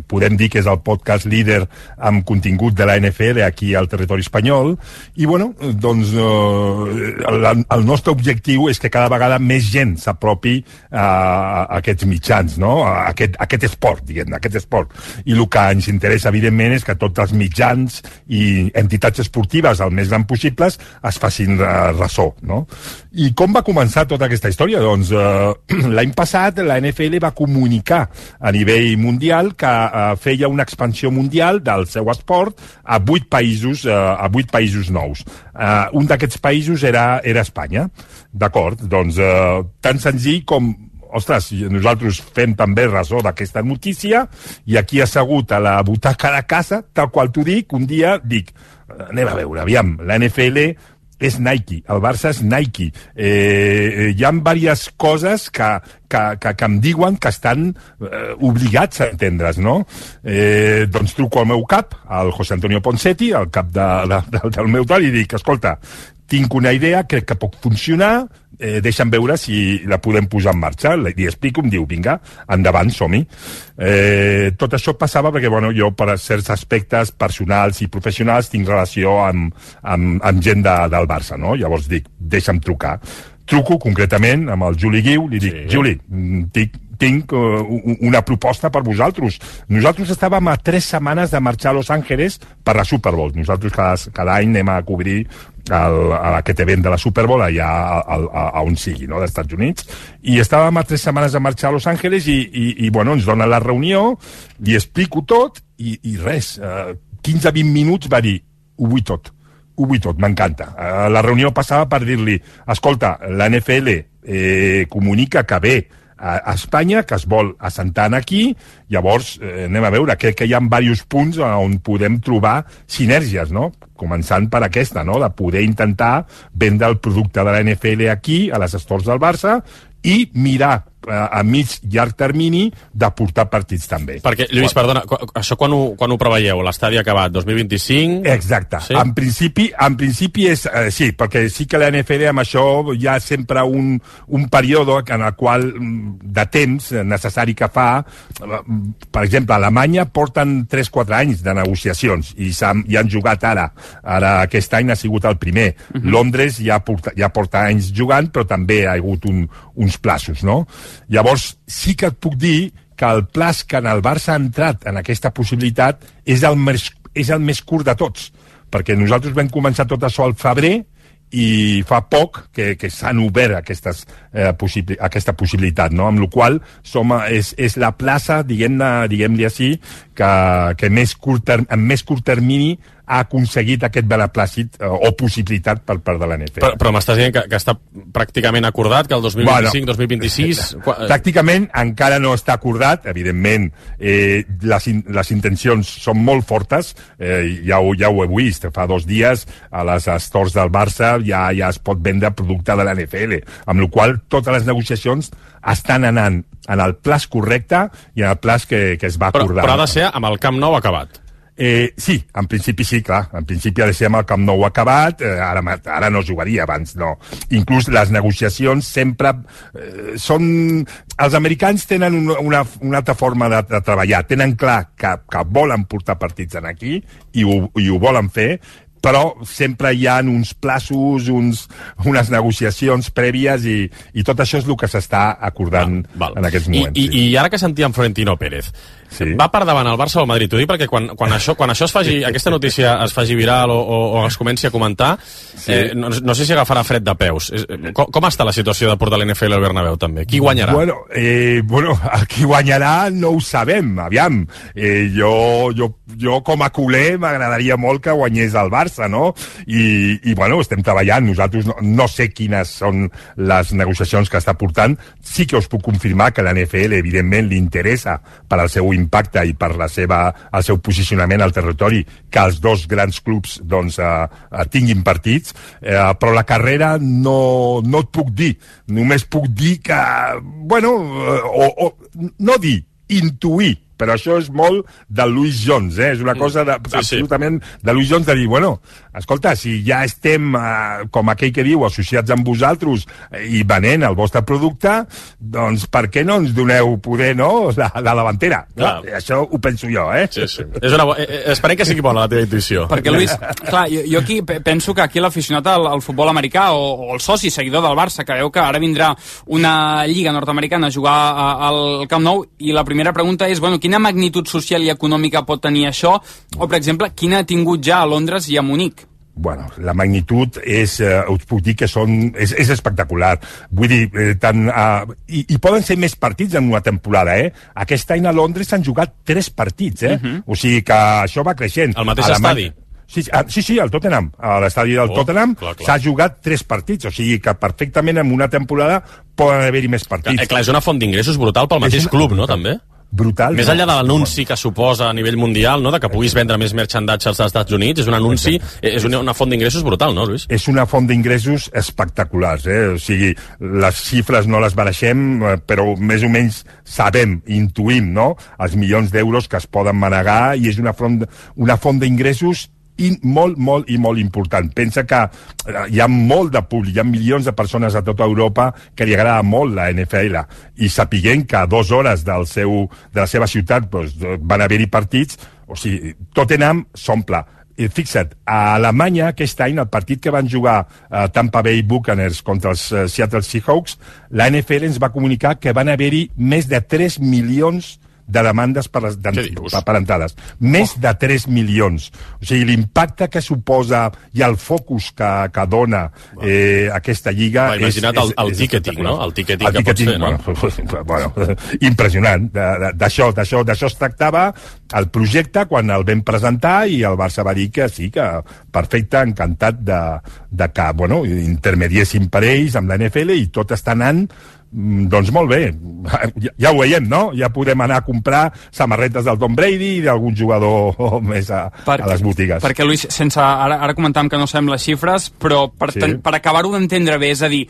podem dir que és el podcast líder amb contingut de la N F L aquí al territori espanyol, i bueno, doncs eh, el, el nostre objectiu és que cada vegada més gent s'apropi a, a aquests mitjans, no?, a aquest, a aquest esport, diguem, a aquest esport. I el que ens interessa, evidentment, és que tots els mitjans i entitats esportives el més gran possibles es facin ressò, no? I com va començar tota aquesta història? Doncs eh, l'any passat la N F L va comunicar a nivell mundial que eh, feia una expansió mundial del seu esport a vuit països, eh, a vuit països nous. Eh, un d'aquests països era, era Espanya. D'acord, doncs eh, tan senzill com ostres, nosaltres fem també ressò d'aquesta notícia i aquí assegut a la butaca de casa, tal qual t'ho dic, un dia dic, anem a veure, aviam, la N F L és Nike, el Barça és Nike. Eh, hi ha diverses coses que, que, que, que em diuen que estan eh, obligats a entendre's, no? Eh, doncs truco al meu cap, al José Antonio Ponseti, al cap de, de, de, del meu tal, i dic, escolta, tinc una idea, crec que pot funcionar, eh, deixa'm veure si la podem posar en marxa. Li explico, em diu, vinga, endavant, som-hi. Eh, tot això passava perquè, bueno, jo per certs aspectes personals i professionals tinc relació amb, amb, amb gent de, del Barça, no? Llavors dic, deixa'm trucar. Truco concretament amb el Juli Guiu, li dic, sí. Juli, tinc, tinc uh, una proposta per vosaltres. Nosaltres estàvem a tres setmanes de marxar a Los Angeles per la Super Bowl. Nosaltres cada, cada any anem a cobrir el, a aquest event de la Super Bowl allà a, a, a on sigui, no?, dels Estats Units, i estàvem a tres setmanes de marxar a Los Angeles i, i, i bueno, ens dona la reunió, li explico tot i, i res, uh, quinze a vint minuts va dir, ho vull tot, ho vull tot, m'encanta. Uh, la reunió passava per dir-li, escolta, la N F L eh, comunica que ve a Espanya, que es vol assentar aquí, llavors eh, anem a veure, crec que hi ha diversos punts on podem trobar sinergies, no?, començant per aquesta, no?, de poder intentar vendre el producte de la N F L aquí, a les stores del Barça, i mirar a mig llarg termini de portar partits també. Perquè, Lluís, perdona, això quan ho, quan ho preveieu? L'estadi acabat, dos mil vint-i-cinc? Exacte. Sí? En principi, en principi és, eh, sí, perquè sí que la N F L amb això hi ha sempre un, un període en el qual, de temps necessari que fa, per exemple, a Alemanya porten tres quatre anys de negociacions i, han, i han jugat ara. Ara aquest any ha sigut el primer. Uh-huh. Londres ja porta, ja porta anys jugant, però també ha hagut un, uns plaços, no? Llavors, sí que et puc dir que el plaç que en el Barça ha entrat en aquesta possibilitat és el més, és el més curt de tots, perquè nosaltres vam començar tot això al febrer i fa poc que, que s'han obert aquestes, eh, possibli aquesta possibilitat, no? Amb la qual som, és, és la plaça, diguem-ne, diguem-li així, que, que més curt term, en més curt termini ha aconseguit aquest beneplàcit eh, o possibilitat per part de l'N F L. Però, però m'estàs dient que, que està pràcticament acordat, que el dos mil vint-i-cinc dos mil vint-i-sis... Bueno, pràcticament encara no està acordat, evidentment eh, les, in, les intencions són molt fortes, eh, ja, ho, ja ho he vist, fa dos dies a les stores del Barça ja, ja es pot vendre producte de l'N F L, amb la qual totes les negociacions estan anant en el plaç correcte i en el plaç que, que es va acordar. Però, però ha de ser amb el Camp Nou acabat. Eh, sí, en principi sí, clar. En principi ha de ser amb el Camp Nou acabat, eh, ara, ara no jugaria, abans no. Inclús les negociacions sempre eh, són... Els americans tenen una, una, una altra forma de, de treballar. Tenen clar que, que volen portar partits en aquí i ho, i ho volen fer, però sempre hi ha uns plaços, uns, unes negociacions prèvies i, i tot això és el que s'està acordant val, val. en aquests moments. I, i, I ara que sentíem Florentino Pérez, sí. va per davant el Barça o el Madrid? T'ho dic perquè quan, quan, això, quan això es faci, aquesta notícia es faci viral o, o, o es comenci a comentar, sí. eh, no, no sé si agafarà fred de peus. Com, com està la situació de portar l'N F L al Bernabéu, també? Qui guanyarà? Bueno, eh, bueno, el qui guanyarà no ho sabem, aviam. Eh, jo, jo, jo com a culer m'agradaria molt que guanyés el Barça, no? I, i bueno, estem treballant, nosaltres no, no sé quines són les negociacions que està portant, sí que us puc confirmar que l'N F L evidentment li interessa per al seu impacte i per la seva, el seu posicionament al territori que els dos grans clubs doncs, eh, tinguin partits, eh, però la carrera no, no et puc dir, només puc dir que, bueno, o, o no dir, intuir, però això és molt de Louis Jones, eh? És una cosa de, sí, absolutament sí. de Louis Jones de dir, bueno, escolta, si ja estem, eh, com aquell que diu, associats amb vosaltres eh, i venent el vostre producte, doncs per què no ens doneu poder, no?, la, la davantera. No? Això ho penso jo, eh? Sí, sí. És una bo... eh, esperem que sigui bona la teva intuïció. Perquè, Lluís, clar, jo, jo aquí penso que aquí l'aficionat al, al futbol americà o, o el soci seguidor del Barça, que veu que ara vindrà una lliga nord-americana a jugar a, al Camp Nou, i la primera pregunta és, bueno, quina magnitud social i econòmica pot tenir això? O, per exemple, quina ha tingut ja a Londres i a Munic? Bueno, la magnitud és, eh, us puc dir que són, és, és espectacular. Vull dir, eh, tant, eh, i, i poden ser més partits en una temporada, eh? Aquest any a Londres s'han jugat tres partits, eh? Uh -huh. O sigui que això va creixent. Al mateix estadi? Sí, sí, sí, al Tottenham. A l'estadi del oh, Tottenham s'ha jugat tres partits, o sigui que perfectament en una temporada poden haver-hi més partits. Clar, clar, és una font d'ingressos brutal pel mateix una... club, no, també? Brutal. Més enllà de l'anunci que suposa a nivell mundial, no?, de que puguis vendre més merchandatge als Estats Units, és un anunci, és una, una font d'ingressos brutal, no, Lluís? És una font d'ingressos espectaculars, eh? O sigui, les xifres no les bareixem, però més o menys sabem, intuïm, no?, els milions d'euros que es poden manegar, i és una font, una font d'ingressos i molt, molt i molt important. Pensa que hi ha molt de públic, hi ha milions de persones a tota Europa que li agrada molt la N F L, i sapiguent que a dues hores del seu, de la seva ciutat doncs, van haver-hi partits, o sigui, Tottenham s'omple. I fixa't, a Alemanya aquest any, el partit que van jugar a Tampa Bay Buccaneers contra els uh, Seattle Seahawks, la N F L ens va comunicar que van haver-hi més de tres milions de demandes per, les, de, per entrades. Més oh. de tres milions. O sigui, l'impacte que suposa i el focus que, que dona eh, aquesta lliga... Va, imagina't és, el, el és, ticketing, és no? El ticketing el que ticketing, pots fer, no? Bueno, bueno, impressionant. D'això d'això es tractava el projecte quan el vam presentar, i el Barça va dir que sí, que perfecte, encantat de, de que, bueno, intermediessin per ells amb la N F L, i tot està anant doncs molt bé, ja, ja ho veiem, no? Ja podem anar a comprar samarretes del Tom Brady i d'algun jugador més a, per, a les botigues. Perquè, Lluís, sense, ara, ara comentàvem que no sabem les xifres, però per, sí. ten, per acabar-ho d'entendre bé, és a dir,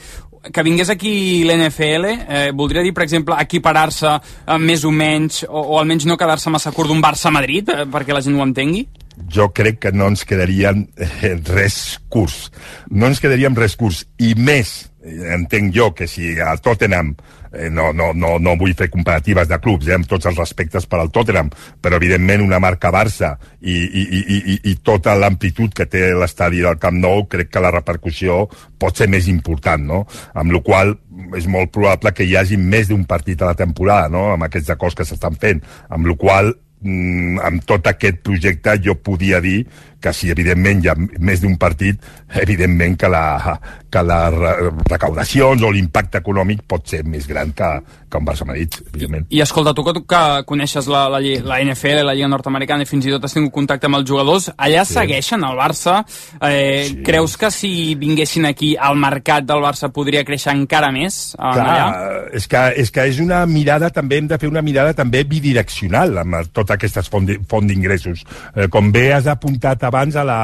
que vingués aquí l'N F L, eh, voldria dir, per exemple, equiparar-se eh, més o menys, o, o almenys no quedar-se massa curt d'un Barça-Madrid, eh, perquè la gent ho entengui? Jo crec que no ens quedaríem eh, res curts. No ens quedaríem res curts. I més, entenc jo que si el Tottenham, eh, no, no, no, no vull fer comparatives de clubs, eh, amb tots els respectes per al Tottenham, però evidentment una marca Barça i, i, i, i, i tota l'amplitud que té l'estadi del Camp Nou, crec que la repercussió pot ser més important, no? Amb la qual és molt probable que hi hagi més d'un partit a la temporada, no?, amb aquests acords que s'estan fent, amb la qual amb tot aquest projecte jo podia dir que si evidentment hi ha més d'un partit, evidentment que, la, que les recaudacions o l'impacte econòmic pot ser més gran que, que un Barça-Madrid, evidentment. I escolta, tu que, que coneixes la, la, la N F L, la Lliga Nord-Americana, i fins i tot has tingut contacte amb els jugadors, allà sí. segueixen el Barça. Eh, sí. Creus que si vinguessin aquí al mercat del Barça podria créixer encara més? Clar, allà? És, que, és que és una mirada, també hem de fer una mirada també bidireccional amb totes aquestes font d'ingressos. Eh, com bé has apuntat abans a la,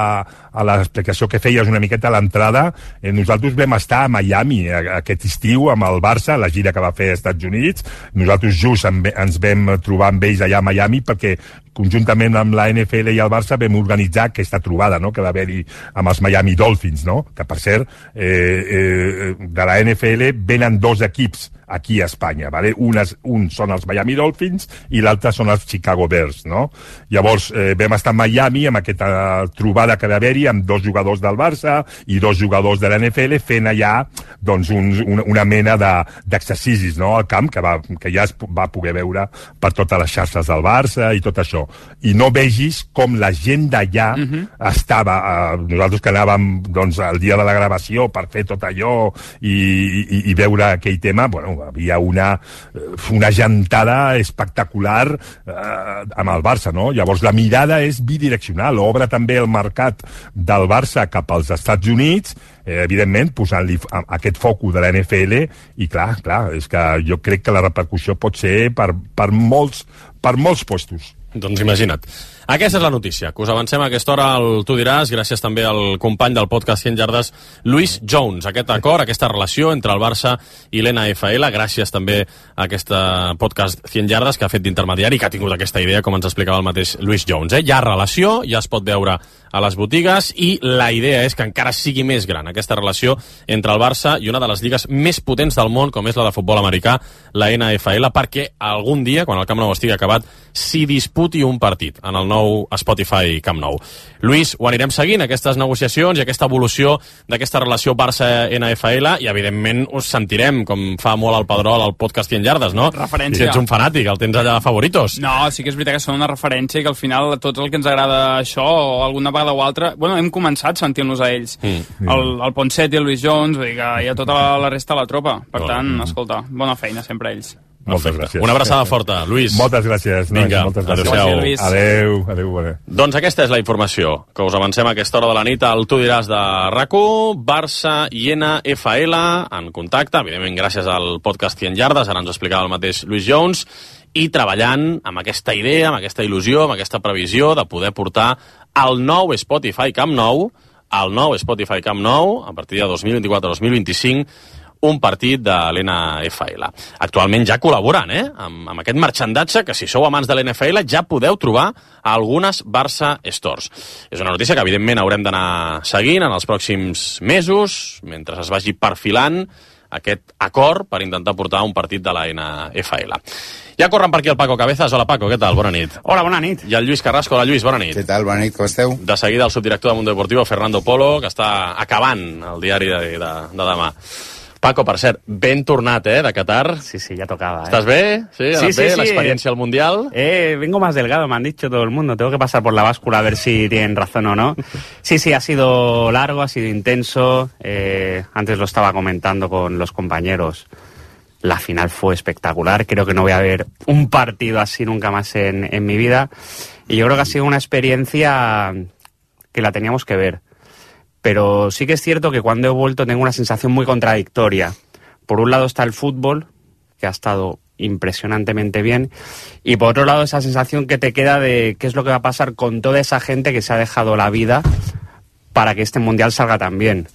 a l'explicació que feies una miqueta a l'entrada, eh, nosaltres vam estar a Miami aquest estiu amb el Barça, la gira que va fer als Estats Units. Nosaltres just ens vam trobar amb ells allà a Miami perquè conjuntament amb la N F L i el Barça vam organitzar aquesta trobada, no?, que va haver-hi amb els Miami Dolphins, no?, que per cert eh, eh, de la N F L venen dos equips aquí a Espanya, ¿vale? Un, és, un són els Miami Dolphins i l'altre són els Chicago Bears, no? Llavors eh, vam estar a Miami amb aquesta trobada que va haver-hi amb dos jugadors del Barça i dos jugadors de la N F L fent allà doncs un, una, una mena d'exercicis, no?, al camp que, va, que ja es va poder veure per totes les xarxes del Barça i tot això. I no vegis com la gent d'allà uh-huh. estava, eh, nosaltres que anàvem doncs el dia de la gravació per fer tot allò i, i, i veure aquell tema, bueno, havia una, una gentada espectacular eh, amb el Barça, no? Llavors la mirada és bidireccional, obre també el mercat del Barça cap als Estats Units, eh, evidentment posant-li aquest focus de la N F L i clar, clar, és que jo crec que la repercussió pot ser per, per, molts, per molts puestos. Doncs imagina't. Aquesta és la notícia, que us avancem a aquesta hora al Tu diràs, gràcies també al company del podcast cent Yardes, Luis Jones. Aquest acord, aquesta relació entre el Barça i l'N F L, gràcies també a aquest podcast cent Yardes que ha fet d'intermediari i que ha tingut aquesta idea, com ens explicava el mateix Luis Jones. Eh? Hi ha relació, ja es pot veure a les botigues i la idea és que encara sigui més gran aquesta relació entre el Barça i una de les lligues més potents del món, com és la de futbol americà, la N F L, perquè algun dia, quan el Camp Nou estigui acabat, s'hi disputi un partit en el nou Spotify Camp Nou. Lluís, ho anirem seguint, aquestes negociacions i aquesta evolució d'aquesta relació Barça-N F L, i evidentment us sentirem, com fa molt el Pedrol al podcast cent Yardes, no? Referència. Si ets un fanàtic, el tens allà de favoritos. No, sí que és veritat que són una referència i que al final tot el que ens agrada això, o alguna vegada o altra, bueno, hem començat sentint-los a ells. Mm. El, el Ponset i el Luis Jones, vull dir que hi ha tota la, la resta de la tropa. Per oh. tant, escolta, bona feina sempre a ells. Moltes gràcies. Una abraçada forta, Lluís. Moltes gràcies. Vinga, moltes gràcies. adéu-siau. Adéu, adéu, adéu. Doncs aquesta és la informació que us avancem a aquesta hora de la nit al Tu diràs de RAC u, Barça i N F L en contacte, evidentment gràcies al podcast cent Yardes, ara ens ho explicava el mateix Luis Jones, i treballant amb aquesta idea, amb aquesta il·lusió, amb aquesta previsió de poder portar al nou Spotify Camp Nou, al nou Spotify Camp Nou, a partir de dos mil vint-i-quatre dos mil vint-i-cinc, un partit de l'N F L. Actualment ja col·laborant, eh? Amb, amb aquest marxandatge que, si sou amants de l'N F L, ja podeu trobar a algunes Barça Stores. És una notícia que, evidentment, haurem d'anar seguint en els pròxims mesos, mentre es vagi perfilant aquest acord per intentar portar un partit de la N F L. Ja corren per aquí el Paco Cabezas. Hola, Paco, què tal? Bona nit. Hola, bona nit. I el Lluís Carrasco. Hola, Lluís, bona nit. Què tal? Bona nit, com esteu? De seguida el subdirector de Mundo Deportivo, Fernando Polo, que està acabant el diari de, de, de demà. Paco, per cert, ben tornat, eh, de Qatar. Sí, sí, ya tocaba. ¿Estás eh? bien? Sí, sí, sí, sí. La experiencia al Mundial. Eh, vengo más delgado, me han dicho todo el mundo. Tengo que pasar por la báscula a ver si tienen razón o no. Sí, sí, ha sido largo, ha sido intenso. Eh, antes lo estaba comentando con los compañeros. La final fue espectacular. Creo que no voy a ver un partido así nunca más en, en mi vida. Y yo creo que ha sido una experiencia que la teníamos que ver. Pero sí que es cierto que cuando he vuelto tengo una sensación muy contradictoria. Por un lado está el fútbol, que ha estado impresionantemente bien, y por otro lado esa sensación que te queda de qué es lo que va a pasar con toda esa gente que se ha dejado la vida para que este Mundial salga tan bien.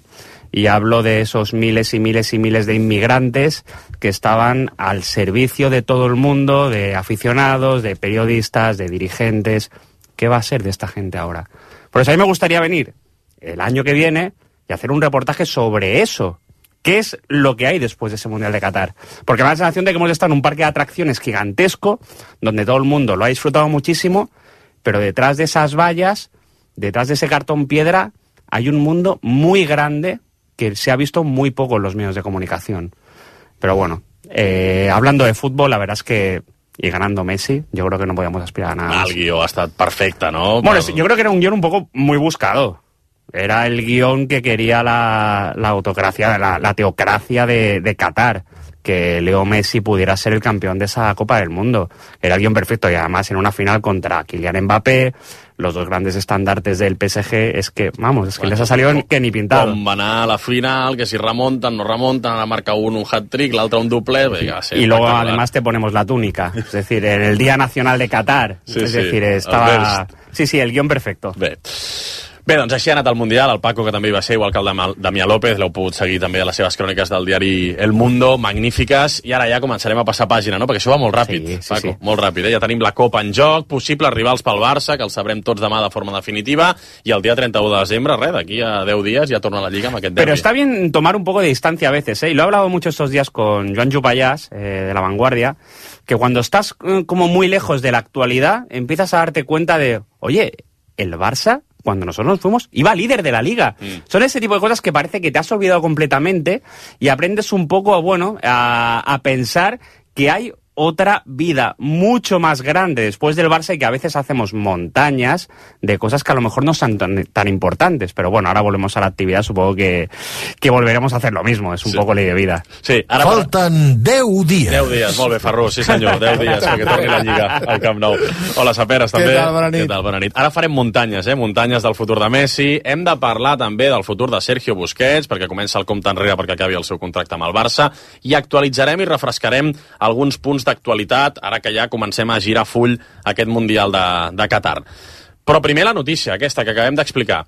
Y hablo de esos miles y miles y miles de inmigrantes que estaban al servicio de todo el mundo, de aficionados, de periodistas, de dirigentes. ¿Qué va a ser de esta gente ahora? Por eso a mí me gustaría venir el año que viene y hacer un reportaje sobre eso. ¿Qué es lo que hay después de ese Mundial de Qatar? Porque me da la sensación de que hemos estado en un parque de atracciones gigantesco, donde todo el mundo lo ha disfrutado muchísimo, pero detrás de esas vallas, detrás de ese cartón piedra, hay un mundo muy grande que se ha visto muy poco en los medios de comunicación. Pero bueno, eh, hablando de fútbol, la verdad es que y ganando Messi, yo creo que no podíamos aspirar a nada. Ah, el guió ha estat perfecte, ¿no? Bueno, pero... yo creo que era un guión un poco muy buscado. Era el guión que quería la, la autocracia, la, la teocracia de, de Qatar, que Leo Messi pudiera ser el campeón de esa Copa del Mundo. Era el guión perfecto, y además en una final contra Kylian Mbappé, los dos grandes estandartes del P S G, es que, vamos, es que bueno, les ha salido com, que ni pintado. Com va anar a la final, que si remontan, no remontan, ara marca un un hat-trick, l'altre un doble... Sí. Venga, sí, y luego además te ponemos la túnica, es decir, en el Día Nacional de Qatar, sí, es sí, decir, estaba... Sí, sí, el guión perfecto. Bé. Bé, doncs així ha anat el Mundial, el Paco, que també hi va ser, igual que el Damià López, l'heu pogut seguir també a les seves cròniques del diari El Mundo, magnífiques, i ara ja començarem a passar pàgina, no? Perquè això va molt ràpid, sí, sí, Paco, sí. molt ràpid, eh? Ja tenim la Copa en joc, possibles rivals pel Barça, que els sabrem tots demà de forma definitiva, i el dia treinta-u de desembre, res, d'aquí a deu dies ja torna a la Lliga amb aquest derbi. Pero está bien tomar un poco de distancia a veces, ¿eh? Y lo he hablado mucho estos días con Joan Jupayás, eh, de La Vanguardia, que cuando estás eh, como muy lejos de la actualidad, empiezas a darte cuenta de, oye, el Barça, cuando nosotros nos fuimos, iba líder de la Liga. Mm. Son ese tipo de cosas que parece que te has olvidado completamente y aprendes un poco, bueno, a, a pensar que hay otra vida mucho más grande después del Barça y que a veces hacemos montañas de cosas que a lo mejor no son tan, tan importantes, pero bueno, ahora volvemos a la actividad, supongo que, que volveremos a hacer lo mismo, es un sí. poco ley de vida. Sí, ara Falten deu dies. deu dies, molt bé, Ferrú, sí senyor, deu dies perquè torni la Lliga al Camp Nou. Hola, Saperes, també. Què tal, bona nit? Què tal, bona nit. Ara farem muntanyes, eh? Muntanyes del futur de Messi. Hem de parlar també del futur de Sergio Busquets, perquè comença el compte enrere perquè acabi el seu contracte amb el Barça, i actualitzarem i refrescarem alguns punts d'actualitat, ara que ja comencem a girar full aquest Mundial de, de Qatar. Però primer la notícia, aquesta que acabem d'explicar.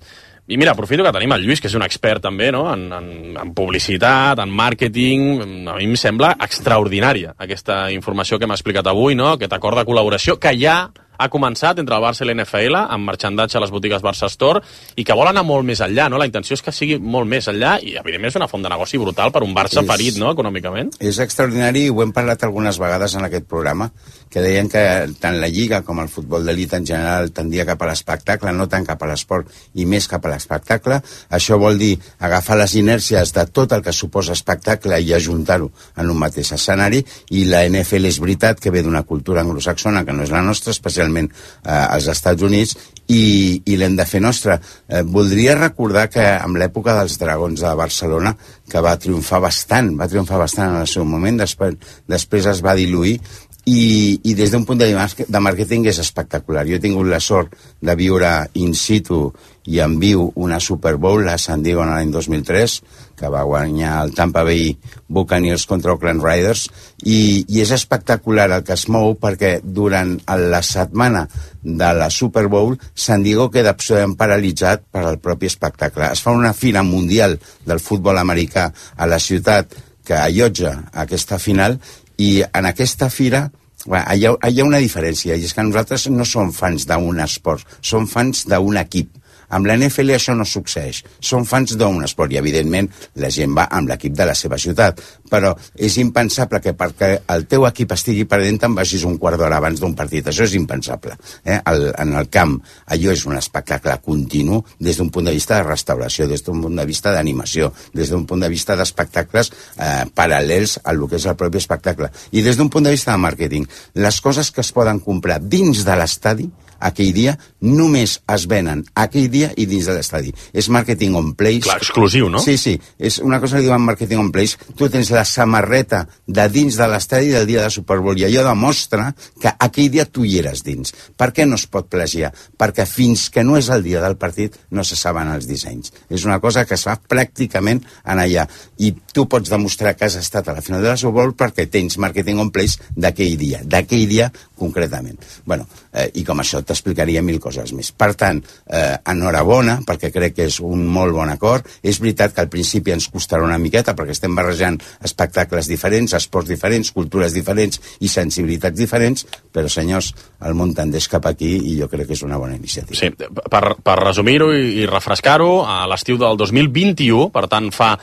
I mira, aprofito que tenim el Lluís, que és un expert també, no? en, en, en publicitat, en màrqueting. A mi em sembla extraordinària aquesta informació que m'ha explicat avui, no? Aquest acord de col·laboració que ja ha començat entre el Barça i l'N F L amb marxandatge a les botigues Barça Store i que vol anar molt més enllà, no? La intenció és que sigui molt més enllà i, evidentment, és una font de negoci brutal per un Barça és, ferit, no?, econòmicament. És extraordinari i ho hem parlat algunes vegades en aquest programa, que deien que tant la Lliga com el futbol d'elit en general tendia cap a l'espectacle, no tant cap a l'esport i més cap a l'espectacle. Això vol dir agafar les inèrcies de tot el que suposa espectacle i ajuntar-ho en un mateix escenari, i la N F L és veritat que ve d'una cultura anglosaxona que no és la nostra, especialment Eh, als Estats Units, i, i l'hem de fer nostra. Eh, voldria recordar que en l'època dels Dragons de Barcelona, que va triomfar bastant, va triomfar bastant en el seu moment, després, després es va diluir, i, i des d'un punt de, de màrqueting és espectacular. Jo he tingut la sort de viure in situ i en viu una Super Bowl a San Diego en l'any dos mil tres, que va guanyar el Tampa Bay Buccaneers contra Oakland Raiders, i, i és espectacular el que es mou, perquè durant la setmana de la Super Bowl San Diego queda absolutament paralitzat per al propi espectacle. Es fa una fira mundial del futbol americà a la ciutat que allotja aquesta final, i en aquesta fira bueno, hi, ha, hi ha una diferència, i és que nosaltres no som fans d'un esport, som fans d'un equip. Amb la N F L això no succeeix. Són fans d'un esport i, evidentment, la gent va amb l'equip de la seva ciutat. Però és impensable que perquè el teu equip estigui perdent te'n vagis un quart d'hora abans d'un partit. Això és impensable. Eh? El, en el camp, allò és un espectacle continu des d'un punt de vista de restauració, des d'un punt de vista d'animació, des d'un punt de vista d'espectacles eh, paral·lels a lo que és el propi espectacle. I des d'un punt de vista de màrqueting, les coses que es poden comprar dins de l'estadi aquell dia només es venen aquell dia i dins de l'estadi. És marketing on place. Clar, exclusiu, no? Sí, sí. És una cosa que diuen marketing on place. Tu tens la samarreta de dins de l'estadi del dia de Super Bowl i allò demostra que aquell dia tu hi eres dins. Per què no es pot plagiar? Perquè fins que no és el dia del partit no se saben els dissenys. És una cosa que es fa pràcticament en allà. I tu pots demostrar que has estat a la final de la Super Bowl perquè tens marketing on place d'aquell dia. D'aquell dia concretament. Bueno, eh, i com això t'explicaria mil coses més. Per tant, eh, enhorabona, perquè crec que és un molt bon acord. És veritat que al principi ens costarà una miqueta, perquè estem barrejant espectacles diferents, esports diferents, cultures diferents i sensibilitats diferents, però, senyors, el món tendeix cap aquí i jo crec que és una bona iniciativa. Sí, per, per resumir-ho i, i refrescar-ho, a l'estiu del dos mil vint-i-u, per tant, fa...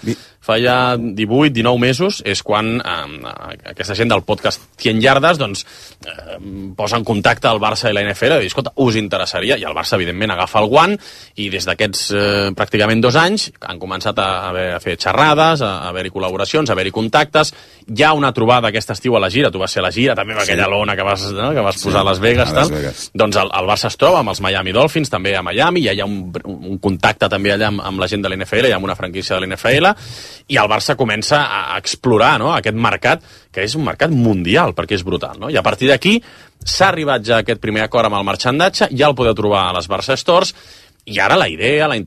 fa ja divuit dinou mesos, és quan eh, aquesta gent del podcast cent yardes doncs, eh, posa en contacte el Barça i la N F L i diu, escolta, us interessaria? I el Barça, evidentment, agafa el guant i des d'aquests eh, pràcticament dos anys han començat a, haver, a fer xerrades, a, a haver-hi col·laboracions, a haver-hi contactes. Hi ha una trobada aquest estiu a la gira, tu vas ser a la gira també amb aquella sí. lona que vas, no? que vas sí. posar a Las Vegas. A Las Vegas. Doncs el, el Barça es troba amb els Miami Dolphins, també a Miami, hi ha un, un contacte també allà amb, amb la gent de l'N F L, hi ha una franquícia de l'N F L, i el Barça comença a explorar, no?, aquest mercat, que és un mercat mundial, perquè és brutal, no? I a partir d'aquí s'ha arribat ja a aquest primer acord amb el marxandatge, ja el podeu trobar a les Barça Stores, i ara la idea, la,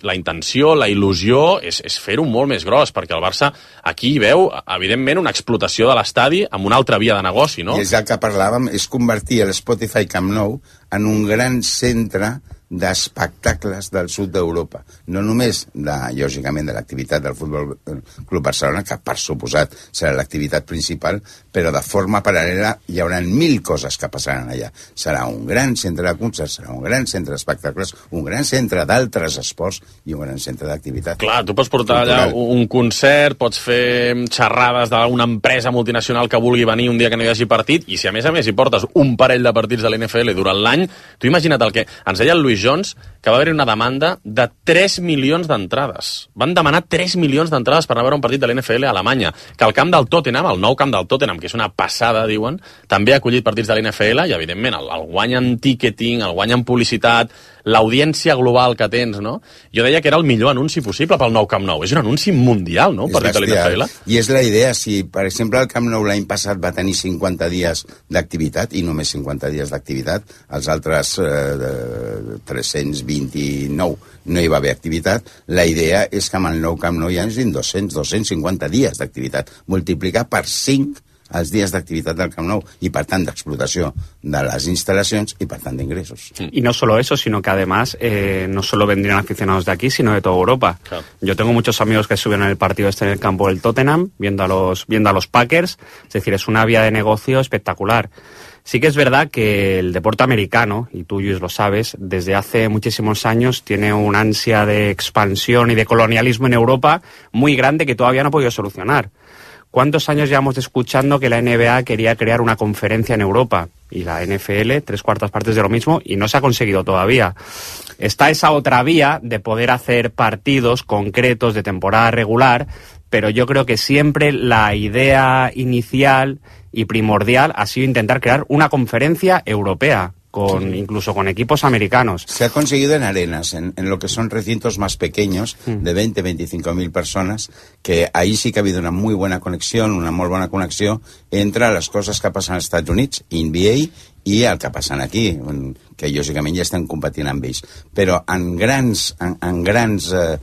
la intenció, la il·lusió és, és fer-ho molt més gros, perquè el Barça aquí veu, evidentment, una explotació de l'estadi amb una altra via de negoci, no? I és el que parlàvem, és convertir l'Spotify Camp Nou en un gran centre d'espectacles del sud d'Europa. No només, de, lògicament, de l'activitat del Futbol Club Barcelona, que per suposat serà l'activitat principal, però de forma paral·lela hi haurà mil coses que passaran allà. Serà un gran centre de concerts, serà un gran centre d'espectacles, un gran centre d'altres esports i un gran centre d'activitat. Clar, tu pots portar cultural. Allà un concert, pots fer xerrades d'una empresa multinacional que vulgui venir un dia que no hi hagi partit, i si a més a més hi portes un parell de partits de l'N F L durant l'any, tu imagina't el que... Ens deia el Luis Jones que va haver-hi una demanda de tres milions d'entrades. Van demanar tres milions d'entrades per anar a veure un partit de l'N F L a Alemanya. Que el camp del Tottenham, el nou camp del Tottenham, que és una passada, diuen, també ha acollit partits de l'N F L i, evidentment, el, el guany en ticketing, el guany en publicitat, l'audiència global que tens, no? Jo deia que era el millor anunci possible pel nou Camp Nou. És un anunci mundial, no?, un partit de l'N F L. I és la idea, si, per exemple, el Camp Nou l'any passat va tenir cinquanta dies d'activitat, i només cinquanta dies d'activitat, els altres eh, tres-cents vint-i-nou no hi va haver activitat, la idea és que amb el nou Camp Nou hi hagi dos-cents, dos-cents cinquanta dies d'activitat, multiplicar per cinc els dies d'activitat del Camp Nou y, per tant, d'explotació de las instalaciones y, per tant, de ingresos. Y no solo eso, sino que además eh, no solo vendrían aficionados de aquí, sino de toda Europa. Claro. Yo tengo muchos amigos que estuvieron en el partido este en el campo del Tottenham, viendo a los, viendo a los Packers. Es decir, es una vía de negocio espectacular. Sí que es verdad que el deporte americano, y tú, Luis, lo sabes, desde hace muchísimos años tiene una ansia de expansión y de colonialismo en Europa muy grande que todavía no ha podido solucionar. ¿Cuántos años llevamos escuchando que la N B A quería crear una conferencia en Europa? Y la N F L, tres cuartas partes de lo mismo, y no se ha conseguido todavía. Está esa otra vía de poder hacer partidos concretos de temporada regular, pero yo creo que siempre la idea inicial y primordial ha sido intentar crear una conferencia europea, con sí. incluso con equipos americanos. Se ha conseguido en arenas, en, en lo que son recintos más pequeños, mm. de veinte a veinticinco mil personas, que ahí sí que ha habido una muy buena conexión, una muy buena conexión entre les coses que passen als Estats Units, N B A, i el que passen aquí, que lògicament ja estan competint amb ells. Però en grans, en, en grans eh,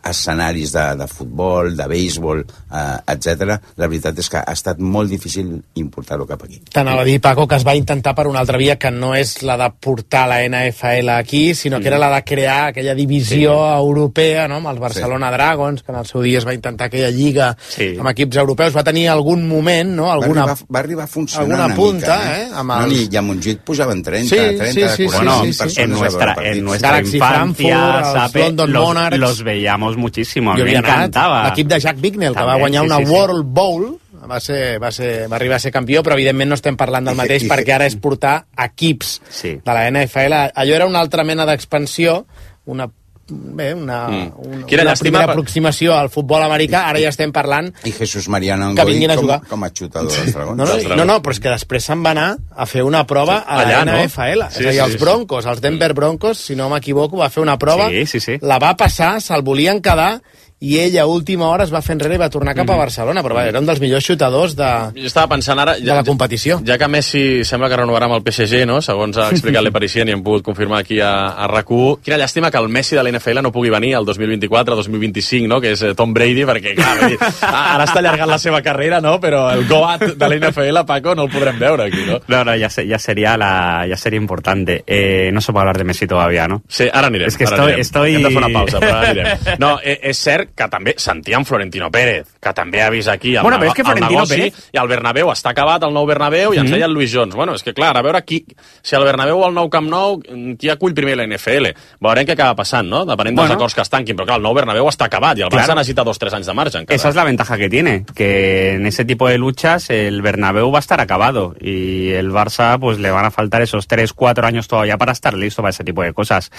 escenaris de, de futbol, de béisbol, eh, etcètera, la veritat és que ha estat molt difícil importar-ho cap aquí. T'anava a dir, Paco, que es va intentar per una altra via que no és la de portar la N F L aquí, sinó que era la de crear aquella divisió sí. europea, no?, amb els Barcelona sí. Dragons, que en el seu dia es va intentar aquella lliga sí. amb equips europeus. Va tenir algun moment, no?, alguna, va, arribar, va arribar a funcionar alguna una punta, mica, eh? Amb els... no, ni, i a Montjuïc pujaven trenta, sí, trenta, sí, sí, quaranta sí, mil sí, sí, persones. En nuestra, en nuestra Galaxy infancia, Frankfurt, Sape, London los, Monarchs. los veíamos muchísimo. A Jo mí me encantava. L'equip de Jack Bicknell, que També, va guanyar sí, una sí, sí. World Bowl, va, ser, va, ser, va arribar a ser campió, però evidentment no estem parlant del mateix perquè ara és portar equips sí. de la N F L. Allò era una altra mena d'expansió, una bé, una, mm. una, una primera per... aproximació al futbol americà. Ara ja estem parlant i Jesús Mariano que vinguin a jugar com, com a xutador dels Dragons. No, no, no, no, però és que després se'n va anar a fer una prova sí. a la allà, N F L, no? Sí, és a dir, els Broncos, els Denver Broncos, si no m'equivoco, va fer una prova, sí, sí, sí. la va passar, se'l volien quedar, i ell a última hora es va fer enrere i va tornar cap a Barcelona, però va, era un dels millors xutadors de, jo estava pensant ara, de la competició. Ja, ja que Messi sembla que renovarà amb el P S G, no? Segons ha explicat l'Eparicien i hem pogut confirmar aquí a, a R A C u, quina llàstima que el Messi de l'N F L no pugui venir el dos mil vint-i-quatre dos mil vint-i-cinc, no? Que és Tom Brady, perquè clar, dir, ara està allargant la seva carrera, no? Però el Goat de l'N F L, Paco, no el podrem veure aquí, no? No, no, ya, ya, sería, la, ya sería importante. Eh, no se puede hablar de Messi todavía, ¿no? Sí, ara anirem. És que ara estoy, anirem. estoy... Hem de fer una pausa, però ara anirem. No, és cert que també sentíem Florentino Pérez, que també ha vist aquí el, bueno, però és que el negoci, Pérez... i el Bernabéu està acabat, el nou Bernabéu, i ens mm. deia el Luis Jones. Bueno, és que clar, a veure qui, si el Bernabéu o el nou Camp Nou, qui acull primer la N F L? Veurem què acaba passant, no? Depenent dels bueno. acords que es tanquin, però clar, el nou Bernabéu està acabat, i el Barça necessita dos o tres anys de marge encara. Esa es la ventaja que tiene, que en ese tipo de luchas el Bernabéu va a estar acabado, y el Barça pues le van a faltar esos tres, cuatro años todavía para estar listo para ese tipo de cosas.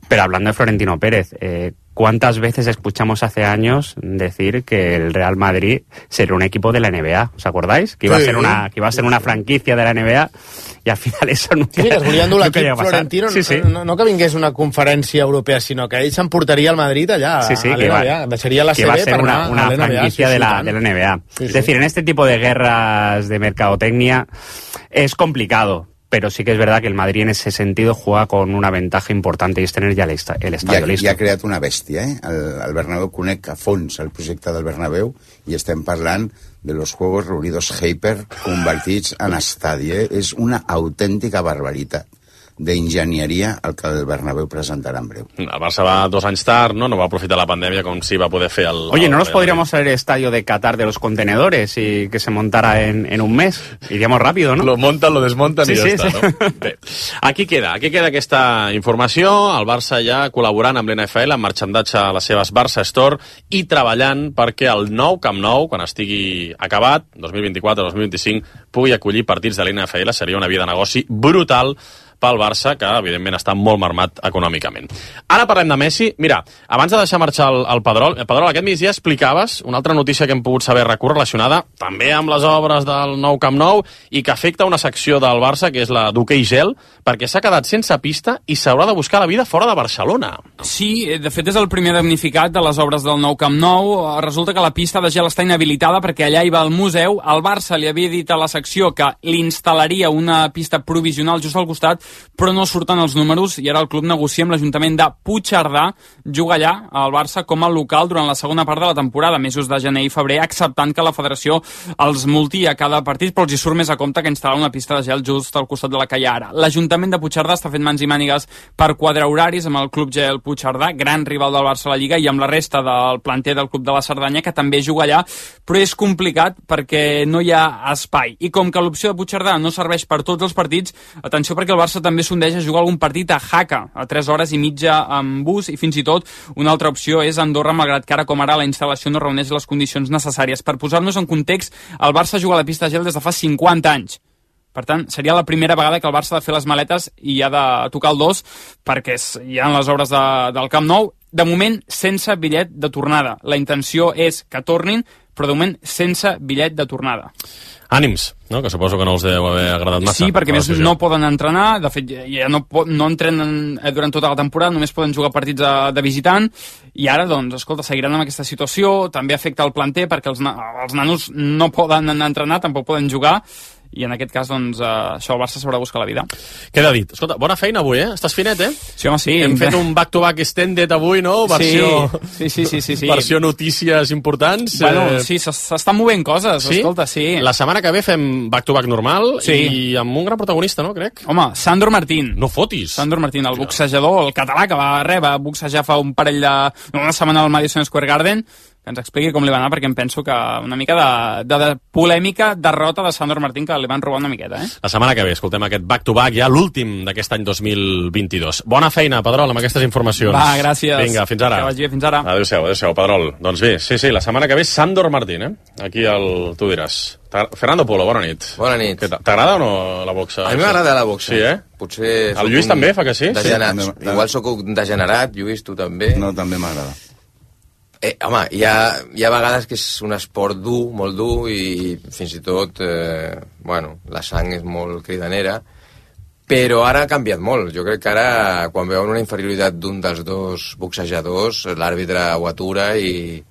Pero hablando de Florentino Pérez, eh, ¿cuántas veces escuchamos hace años decir que el Real Madrid sería un equipo de la N B A? ¿Os acordáis? Que iba sí, a ser una que iba a ser una franquicia de la N B A, i al final eso nunca, sí, que es volia endur l'equip Florentino, sí, sí. No, no que vingués una conferència europea, sinó que ell s'emportaria al Madrid allà sí, sí, a l'N B A. Deixaria la que C B va a ser per una, anar una a l'N B A. franquicia sí, de, sí, la, de la N B A. Sí, es sí. decir, en este tipo de guerras de mercadotecnia es complicado, pero sí que es verdad que el Madrid en ese sentido juega con una ventaja importante, y es tener ya el, esta, el estadio ja, listo. Ja ha creat una bèstia, eh? El, el Bernabéu conec a fons el projecte del Bernabéu, i estem parlant de los Juegos Reunidos Hyper convertits en estadi, eh? És una autèntica barbaritat d'enginyeria el que el Bernabéu presentarà en breu. El Barça va dos anys tard, no? No va aprofitar la pandèmia com si va poder fer el... Oye, el, ¿no nos el, podríamos traer el estadio de Qatar de los contenedores y que se montara en, en un mes? Iríamos rápido, ¿no? Lo montan, lo desmontan sí, i ja sí, està, sí. no? Bé, aquí queda, aquí queda aquesta informació. El Barça ja col·laborant amb l'N F L, amb marxandatge a les seves Barça Store, i treballant perquè el nou Camp Nou, quan estigui acabat, dos mil vint-i-quatre dos mil vint-i-cinc, pugui acollir partits de l'N F L. Seria una via de negoci brutal pel Barça, que evidentment està molt marmat econòmicament. Ara parlem de Messi. Mira, abans de deixar marxar el, el Pedrol, el Pedrol, aquest migdia explicaves una altra notícia que hem pogut saber RAC u relacionada també amb les obres del nou Camp Nou i que afecta una secció del Barça, que és la d'hoquei gel, perquè s'ha quedat sense pista i s'haurà de buscar la vida fora de Barcelona. Sí, de fet és el primer damnificat de les obres del nou Camp Nou. Resulta que la pista de gel està inhabilitada perquè allà hi va el museu. El Barça li havia dit a la secció que li instal·laria una pista provisional just al costat, però no surten els números, i ara el club negocia amb l'Ajuntament de Puigcerdà jugar allà al Barça com a local durant la segona part de la temporada, mesos de gener i febrer, acceptant que la federació els multi a cada partit, però els hi surt més a compte que instal·lar una pista de gel just al costat de la que hi ha ara. L'Ajuntament de Puigcerdà està fent mans i mànigues per quadrar horaris amb el Club Gel Puigcerdà, gran rival del Barça a la Lliga, i amb la resta del planter del Club de la Cerdanya, que també juga allà, però és complicat perquè no hi ha espai. I com que l'opció de Puigcerdà no serveix per tots els partits, atenció, perquè el Barça també sondeix a jugar algun partit a Jaca, a tres hores i mitja amb bus, i fins i tot una altra opció és Andorra, malgrat que ara com ara la instal·lació no reuneix les condicions necessàries. Per posar-nos en context, el Barça juga a la pista de gel des de fa cinquanta anys. Per tant, seria la primera vegada que el Barça ha de fer les maletes i ha de tocar el dos, perquè hi ha les obres de, del Camp Nou. De moment, sense bitllet de tornada. La intenció és que tornin, però de moment sense bitllet de tornada. Ànims, no? Que suposo que no els deu haver agradat massa. Sí, perquè més no poden entrenar, de fet ja no, no entrenen durant tota la temporada, només poden jugar partits de, de visitant, i ara, doncs, escolta, seguiran amb aquesta situació. També afecta el planter perquè els, els nanos no poden anar a entrenar, tampoc poden jugar, i en aquest cas, doncs, uh, això el Barça s'haurà de buscar la vida. Queda dit. Escolta, bona feina avui, eh? Estàs finet, eh? Sí, home, sí. Hem fet un back-to-back extended avui, no? Versió... Sí, sí, sí, sí, sí. Versió notícies importants. Bueno, eh... sí, s'estan movent coses, sí? Escolta, sí. La setmana que ve fem back-to-back normal, sí, i amb un gran protagonista, no, crec? Home, Sandor Martín. No fotis. Sandor Martín, el boxejador, el català, que va rebre boxejar fa un parell de... una setmana al Madison Square Garden, que ens expliqui com li va anar, perquè em penso que una mica de, de, de polèmica derrota de Sandor Martín, que li van robar una miqueta, eh? La setmana que ve escoltem aquest back-to-back, ja l'últim d'aquest any dos mil vint-i-dos. Bona feina, Pedrol, amb aquestes informacions. Va, gràcies. Vinga, fins ara. Que vagi bé, fins ara. Adéu-siau, adéu-siau, Pedrol. Doncs bé, sí, sí, la setmana que ve Sandor Martín, eh? Aquí el... tu diràs. Fernando Polo, bona nit. Bona nit. T'agrada o no la boxa? A mi m'agrada la boxa. Sí, eh? Potser... El Lluís també fa que sí? Degenerat. Sí, també. Igual sóc un degenerat, Lluís, tu també. No, també m'agrada. Eh, home, hi ha, hi ha vegades que és un esport dur, molt dur, i fins i tot, eh, bueno, la sang és molt cridanera, però ara ha canviat molt. Jo crec que ara, quan veuen una inferioritat d'un dels dos boxejadors, l'àrbitre ho atura i,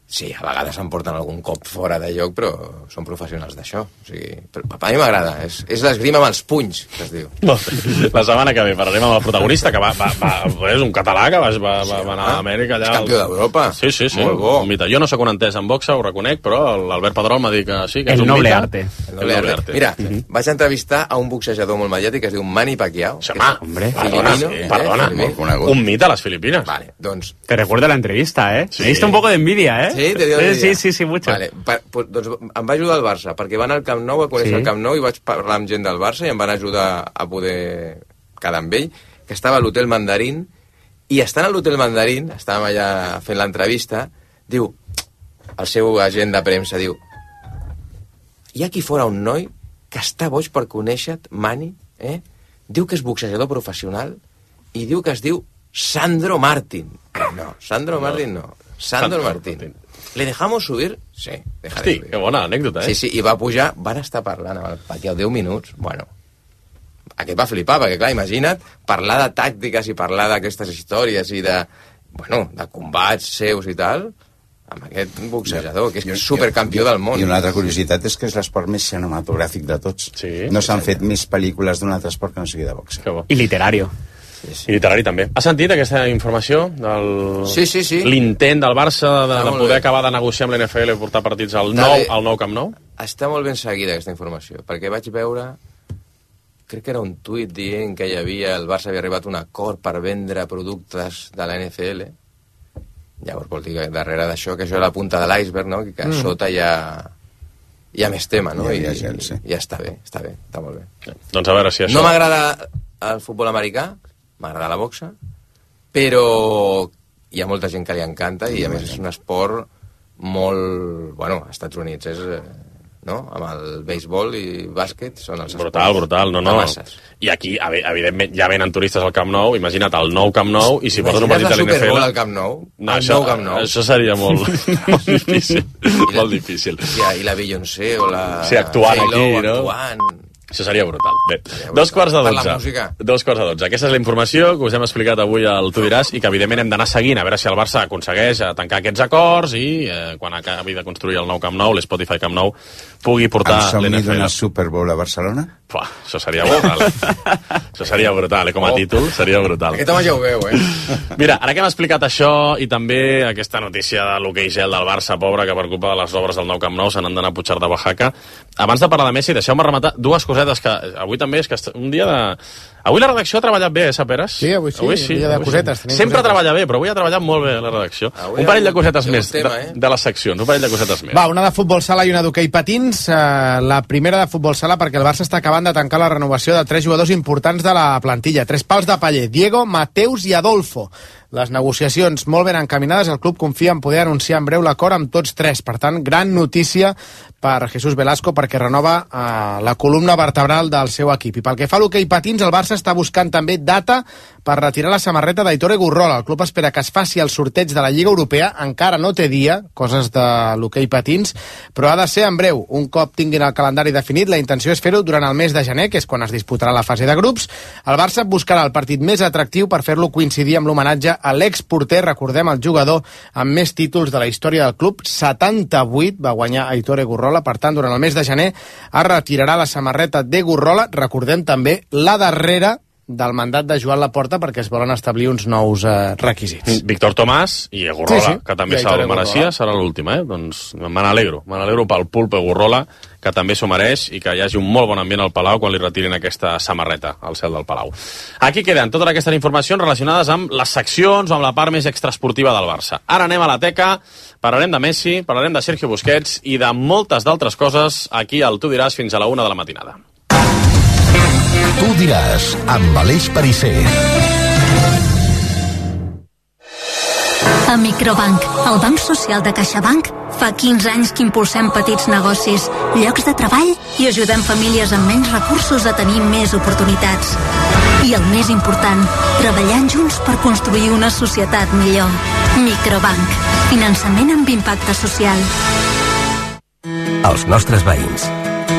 Sí, a vegades em porten algun cop fora de lloc, però són professionals d'això. O sigui, però a mi m'agrada, és, és l'esgrima amb els punys, que es diu. La setmana que ve parlarem amb el protagonista, que va, va, va, és un català que va, va, va, va anar a Amèrica allà. És campió d'Europa. Sí, sí, sí. Molt bo. Un mite. Jo no sóc un entès en boxa, ho reconec, però l'Albert Pedrol m'ha dit que sí, que el és un noble mite. arte. El noble arte. arte. Mira, uh-huh. vaig entrevistar a un boxejador molt mediàtic que es diu Manny Pacquiao. Sí, home, hombre. Perdona, filipino, sí, eh, perdona. filipino. Un mite a les Filipines. Vale, doncs... Te recuerdo la entrevista, ¿eh? Sí. Me diste un poco de envidia, ¿eh? Sí, te dio envidia. Sí, sí, sí, mucho. Vale, pa, pues, doncs em va ajudar el Barça, perquè van al Camp Nou, a conèixer Sí. el Camp Nou, i vaig parlar amb gent del Barça i em van ajudar a poder quedar amb ell, que estava a l'Hotel Mandarín, i estant a l'Hotel Mandarín, estàvem allà fent l'entrevista, diu, el seu agent de premsa, diu, hi ha aquí fora un noi que està boig per conèixer-te, Manny, eh? Diu que és boxejador professional i diu que es diu Sandro Martín. No, Sandro Martín no. Sandro Martín. ¿Le dejamos subir? Sí, dejaré Hosti, subir. que bona anècdota, eh? Sí, sí, i va pujar, van estar parlant amb el Pacquiao deu minuts, bueno, aquest va flipar, perquè clar, imagina't parlar de tàctiques i parlar d'aquestes històries i de, bueno, de combats seus i tal, amb aquest boxejador, que és supercampió del món. I una altra curiositat és que és l'esport més cinematogràfic de tots. Sí, no s'han fet més pel·lícules d'un altre esport que no sigui de boxe. I literario. Sí, sí. I literari també. Has sentit aquesta informació? Del... Sí, sí, sí. L'intent del Barça de, Està de molt poder bé. acabar de negociar amb l'N F L i portar partits al Està nou, bé. al nou Camp Nou? Està molt ben seguida aquesta informació, perquè vaig veure, crec que era un tuit dient que hi havia, el Barça havia arribat a un acord per vendre productes de la N F L. Llavors vol dir que darrere d'això, que això és la punta de l'iceberg, no? Que a Mm. sota hi ha, hi ha més tema, no? Hi I, ha gel, sí. i ja està bé, està bé, està molt bé. Doncs a veure si això... No m'agrada el futbol americà, m'agrada la boxa, però hi ha molta gent que li encanta i a més és un esport molt... Bueno, als Estats Units és... eh, no? Amb el béisbol i bàsquet són els Brutal, esports brutal, no, no. de masses. I aquí, evidentment, ja venen turistes al Camp Nou, imagina't el nou Camp Nou, i si portes un partit de Imagina't la l'N F L... Super Bowl al Camp Nou, No, el això, nou Camp Nou. això seria molt, molt difícil. molt difícil. Ja, i la Beyoncé o la... Sí, actuant J-Lo aquí, no? Actuant. Això seria brutal. Bé, dos quarts de Per la dotze. música. Dos quarts de dotze. Aquesta és la informació que us hem explicat avui al Tu diràs i que evidentment hem d'anar seguint a veure si el Barça aconsegueix tancar aquests acords i eh, quan acabi de construir el nou Camp Nou, l'Spotify Camp Nou, pugui portar Em somni l'N F L. d'una Super Bowl a Barcelona? Pua, això seria brutal. Això seria brutal, eh? Com a títol seria brutal. Aquest home ja ho veu, eh? Mira, ara que hem explicat això i també aquesta notícia de l'hoquei gel del Barça, pobre, que per culpa de les obres del nou Camp Nou se n'han d'anar a Puigcerdà de Oaxaca, abans de parlar de Messi, deixeu-me rematar dues cosetes que avui també és que un dia de... Avui la redacció ha treballat bé, eh, Saperes? Sí, avui sí, avui sí dia de avui cosetes, Sí. tenim Sempre cosetes. treballa bé, però avui ha treballat molt bé la redacció. Avui Un parell hi ha de cosetes un- hi ha un més tema, de, eh? de les seccions, un parell de cosetes més. Va, una de futbol sala i una d'hoquei patins. Eh, la primera de futbol sala perquè el Barça està acabant de tancar la renovació de tres jugadors importants de la plantilla. Tres pals de paller, Diego, Mateus i Adolfo. Les negociacions molt ben encaminades, el club confia en poder anunciar en breu l'acord amb tots tres. Per tant, gran notícia per Jesús Velasco perquè renova eh, la columna vertebral del seu equip. I pel que fa a l'hoquei patins, el Barça està buscant també data per retirar la samarreta d'Aitor Gurrola. El club espera que es faci el sorteig de la Lliga Europea, encara no té dia, coses de l'hoquei patins, però ha de ser en breu. Un cop tinguin el calendari definit, la intenció és fer-ho durant el mes de gener, que és quan es disputarà la fase de grups. El Barça buscarà el partit més atractiu per fer-lo coincidir amb l'homenatge a l'exporter, recordem el jugador amb més títols de la història del club, setanta-vuit va guanyar Aitor Gurrola, per tant, durant el mes de gener es retirarà la samarreta de Gurrola, recordem també la darrera del mandat de Joan Laporta perquè es volen establir uns nous eh, requisits. Víctor Tomàs i Gurrola, Sí, sí. que també I se'l Aitor mereixia, Gurrola. serà l'última, eh? Doncs me n'alegro, me n'alegro pel pulpo Gurrola, que també s'ho mereix i que hi hagi un molt bon ambient al Palau quan li retirin aquesta samarreta al cel del Palau. Aquí queden totes aquestes informacions relacionades amb les seccions o amb la part més extraesportiva del Barça. Ara anem a la teca, parlarem de Messi, parlarem de Sergio Busquets i de moltes d'altres coses aquí al Tu diràs fins a la una de la matinada. Tu diràs, amb Aleix Perisser. A Microbank, el banc social de CaixaBank, fa quinze anys que impulsem petits negocis, llocs de treball i ajudem famílies amb menys recursos a tenir més oportunitats. I el més important, treballant junts per construir una societat millor. Microbank, finançament amb impacte social. Els nostres veïns.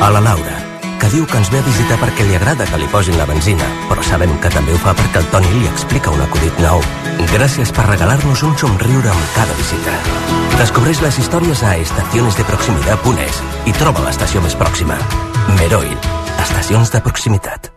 A la Laura, que diu que ens ve a visitar perquè li agrada que li posin la benzina, però sabem que també ho fa perquè el Toni li explica un acudit nou. Gràcies per regalar-nos un somriure amb cada visita. Descobreix les històries a estaciones de proximidad punt es i troba l'estació més pròxima. Meroil, estacions de proximitat.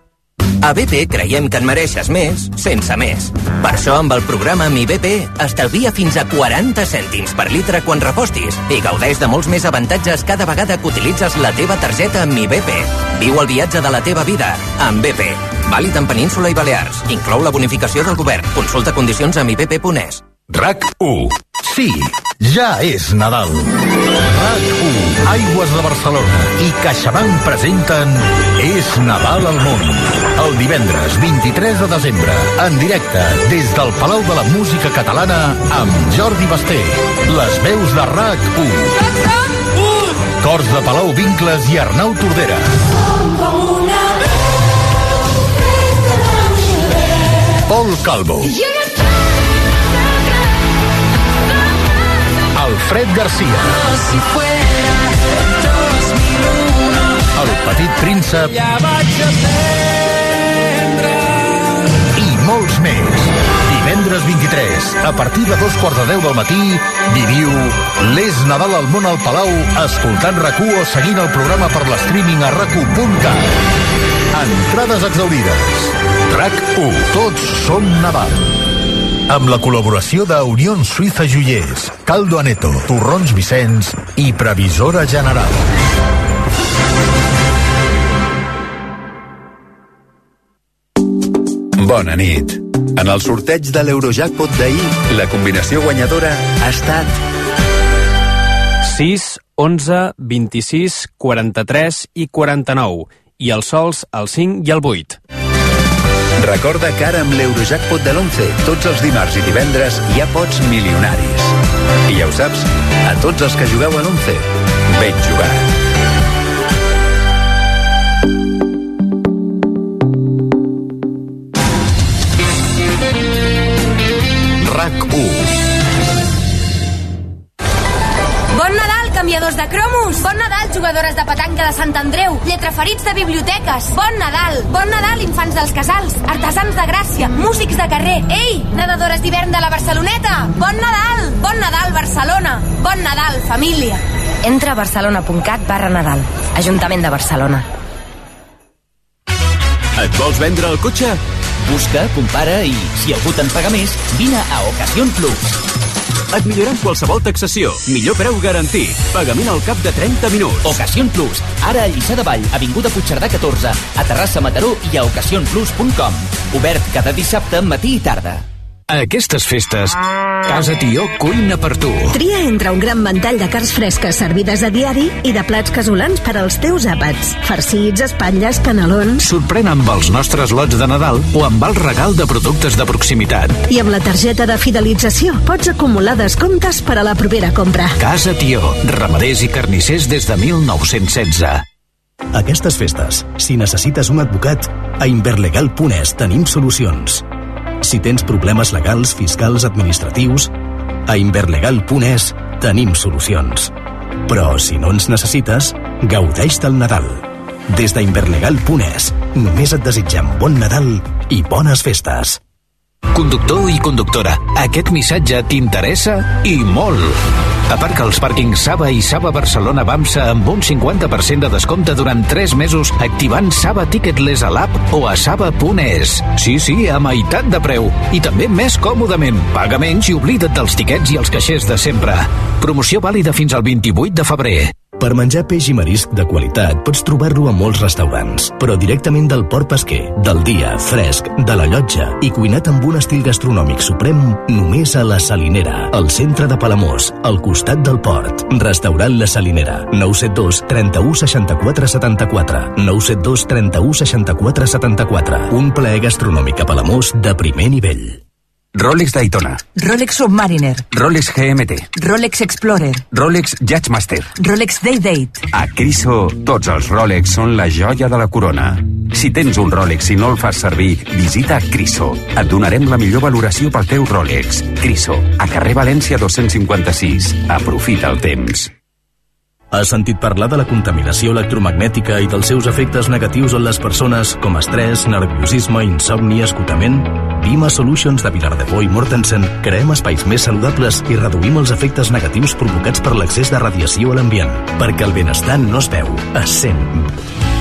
A B P creiem que en mereixes més sense més. Per això, amb el programa Mi B P, estalvia fins a quaranta cèntims per litre quan repostis i gaudeix de molts més avantatges cada vegada que utilitzes la teva targeta Mi B P. Viu el viatge de la teva vida amb B P. Vàlid en Península i Balears. Inclou la bonificació del govern. Consulta condicions a mi b p punt es. RAC u. Sí, ja és Nadal. RAC u, Aigües de Barcelona i CaixaBank presenten És Nadal al món. El divendres vint-i-tres de desembre, en directe, des del Palau de la Música Catalana, amb Jordi Basté. Les veus de RAC u. Cors de Palau Vincles i Arnau Tordera. Pol Calvo. Alfred Garcia. El Petit Príncep. I molts més. Divendres vint-i-tres, a partir de dos quarts de deu del matí, viviu l'És Nadal al món al Palau, escoltant RAC u o seguint el programa per l'streaming a rac u punt cat. Entrades exaurides. RAC u. Tots som Nadal. Amb la col·laboració de Unión Suïssa Joiers, Caldo Aneto, Torrons Vicenç i Previsora General. Bona nit. En el sorteig de l'Eurojackpot d'ahir, la combinació guanyadora ha estat sis, onze, vint-i-sis, quaranta-tres i quaranta-nou, i els sols el cinc i el vuit. Recorda que ara amb l'Eurojackpot de l'onze, tots els dimarts i divendres hi ha pots milionaris. I ja ho saps, a tots els que jugueu a l'onze, ben jugat. RAC u. Bon Nadal, canviadors de cromos! Bon Nadal, jugadores de petanca de Sant Andreu! Lletraferits de biblioteques! Bon Nadal! Bon Nadal, infants dels casals! Artesans de Gràcia! Músics de carrer! Ei, nedadores d'hivern de la Barceloneta! Bon Nadal! Bon Nadal, Barcelona! Bon Nadal, família! Entra a barcelona punt cat barra Nadal. Ajuntament de Barcelona. Et vols vendre el cotxe? Busca, compara i, si algú te'n paga més, vine a Ocasión Plus. Et millorem qualsevol taxació. Millor preu garantit. Pagament al cap de trenta minuts. Ocasión Plus. Ara a Lliçà de Vall, avinguda Puigcerdà catorze, a Terrassa, Mataró i a ocasión plus punt com. Obert cada dissabte, matí i tarda. A aquestes festes, Casa Tió cuina per tu. Tria entre un gran ventall de carns fresques servides a diari i de plats casolans per als teus àpats. Farcits, espatlles, canelons... Sorprèn amb els nostres lots de Nadal o amb el regal de productes de proximitat. I amb la targeta de fidelització pots acumular descomptes per a la propera compra. Casa Tió, ramaders i carnissers des de mil nou-cents setze. Aquestes festes, si necessites un advocat, a inverlegal punt es tenim solucions. Si tens problemes legals, fiscals, administratius, a inverlegal punt es tenim solucions. Però si no ens necessites, gaudeix del Nadal. Des d'Inverlegal punt es, només et desitgem bon Nadal i bones festes. Conductor i conductora, aquest missatge t'interessa i molt. Aparca als pàrquings Saba i Saba Barcelona Bamsa amb un cinquanta per cent de descompte durant tres mesos activant Saba Ticketless a l'app o a saba punt es. Sí, sí, a meitat de preu. I també més còmodament. Paga menys i oblida't dels tiquets i els caixers de sempre. Promoció vàlida fins al vint-i-vuit de febrer. Per menjar peix i marisc de qualitat pots trobar-lo a molts restaurants, però directament del port pesquer, del dia, fresc, de la llotja i cuinat amb un estil gastronòmic suprem només a La Salinera, al centre de Palamós, al costat del port. Restaurant La Salinera, nou set dos, trenta-u, seixanta-quatre, setanta-quatre, nou set dos, trenta-u, seixanta-quatre, setanta-quatre. Un plaer gastronòmic a Palamós de primer nivell. Rolex Daytona, Rolex Submariner, Rolex G M T, Rolex Explorer, Rolex Judgemaster. Rolex Day-Date. A Criso, tots els Rolex són la joia de la corona. Si tens un Rolex i no el fas servir, visita Criso. Et donarem la millor valoració pel teu Rolex. Criso, a carrer València dos-cents cinquanta-sis. Aprofita el temps. Has sentit parlar de la contaminació electromagnètica i dels seus efectes negatius en les persones com estrès, nerviosisme, insomni, esgotament? Vima Solutions de Vilardebó i Mortensen creem espais més saludables i reduïm els efectes negatius provocats per l'excés de radiació a l'ambient, perquè el benestar no es veu, es sent.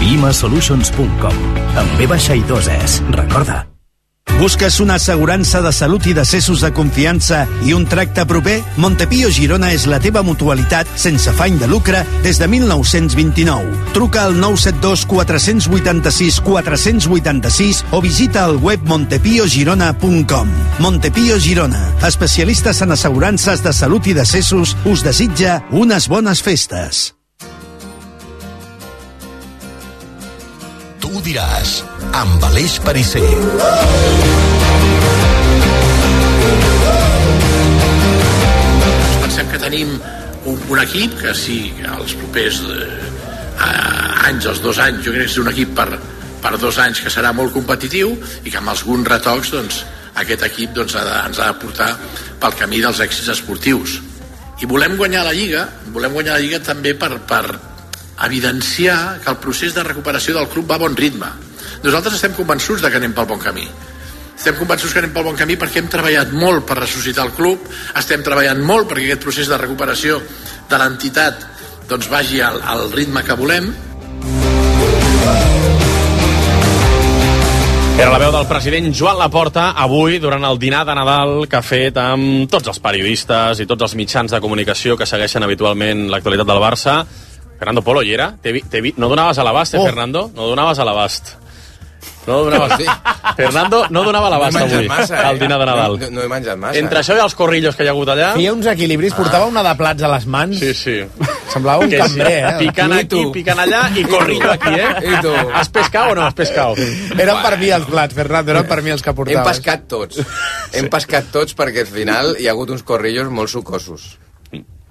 vima solutions punt com. Amb ve baixa i dos es. Recorda. Busques una assegurança de salut i decessos de confiança i un tracte proper? Montepío Girona és la teva mutualitat sense afany de lucre des de mil nou-cents vint-i-nou. Truca al nou set dos quatre vuit sis quatre vuit sis o visita el web montepío girona punt com. Montepío Girona, especialistes en assegurances de salut i decessos, us desitja unes bones festes. Tu ho diràs, amb Aleix Parisser. Pensem que tenim un, un equip que sí, que els propers eh, anys, els dos anys, jo crec que és un equip per, per dos anys que serà molt competitiu i que amb alguns retocs doncs, aquest equip doncs, ha de, ens ha de portar pel camí dels èxits esportius. I volem guanyar la Lliga, volem guanyar la Lliga també per, per evidenciar que el procés de recuperació del club va a bon ritme. Nosaltres estem convençuts de que anem pel bon camí. Estem convençuts que anem pel bon camí perquè hem treballat molt per ressuscitar el club, estem treballant molt perquè aquest procés de recuperació de l'entitat doncs, vagi al, al ritme que volem. Era la veu del president Joan Laporta avui durant el dinar de Nadal que ha fet amb tots els periodistes i tots els mitjans de comunicació que segueixen habitualment l'actualitat del Barça. Fernando Polo, hi era? No donaves a l'abast, eh, oh. Fernando? No donaves a l'abast. No donaves... Sí. Fernando no donava a l'abast no avui, massa, al dinar de Nadal. No, no he menjat massa. Entre això i els corrillos que hi ha hagut allà... Feia uns equilibris, portava una de plats a les mans. Sí, sí. Semblava un cambrer, eh? Picant aquí, picant allà i corrillo aquí, eh? I tu? Has pescat o no has pescat? Eren per mi els plats, Fernando, eren per mi els que portaves. Hem pescat tots. Hem pescat tots perquè al final hi ha hagut uns corrillos molt sucosos.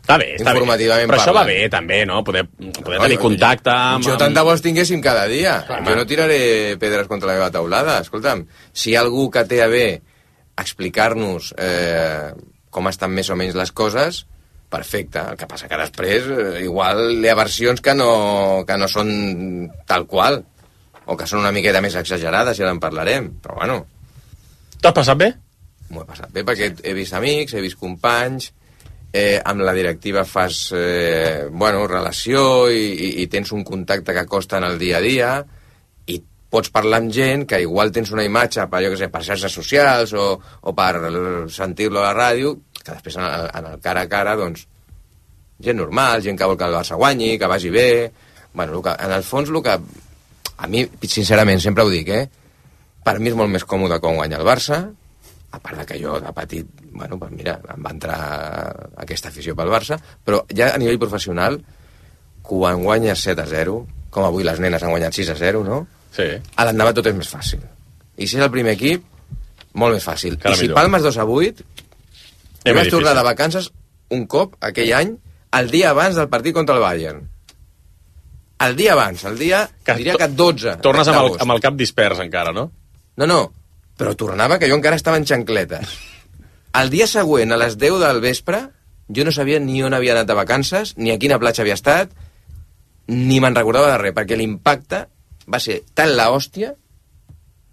Està bé, està bé. Però això va bé, també, no? Poder, poder no, tenir jo, contacte amb... Jo tant de bo els tinguéssim cada dia. Clar, jo no tiraré pedres contra la meva taulada. Escolta'm, si hi ha algú que té a bé explicar-nos eh, com estan més o menys les coses, perfecte. El que passa que després eh, igual hi ha versions que no, que no són tal qual, o que són una miqueta més exagerades, i ara en parlarem. Però bueno... T'has passat bé? M'ho he passat bé perquè he vist amics, he vist companys... Eh, amb la directiva fas eh, bueno, relació i, i, i tens un contacte que costa en el dia a dia i pots parlar amb gent que igual tens una imatge per, jo que sé, per xarxes socials o, o per sentir-lo a la ràdio, que després en el, en el cara a cara doncs, gent normal, gent que vol que el Barça guanyi, que vagi bé. Bueno, que, en el fons el que a mi, sincerament, sempre ho dic, eh? Per mi és molt més còmode quan guanya el Barça, a part de que jo de petit, bueno, pues mira, em va entrar aquesta afició pel Barça, però ja a nivell professional, quan guanyes set a zero, com avui les nenes han guanyat sis a zero, no? Sí. A l'endavant tot és més fàcil. I si és el primer equip, molt més fàcil. Cada I si millor. palmes dos a vuit, jo vaig tornar de vacances un cop, aquell any, el dia abans del partit contra el Bayern. El dia abans, el dia, que diria que dotze. Tornes amb el, amb el cap dispers encara, no? No, no, però tornava que jo encara estava en xancletes. El dia següent, a les deu del vespre, jo no sabia ni on havia anat de vacances, ni a quina platja havia estat, ni me'n recordava de res, perquè l'impacte va ser tan la hòstia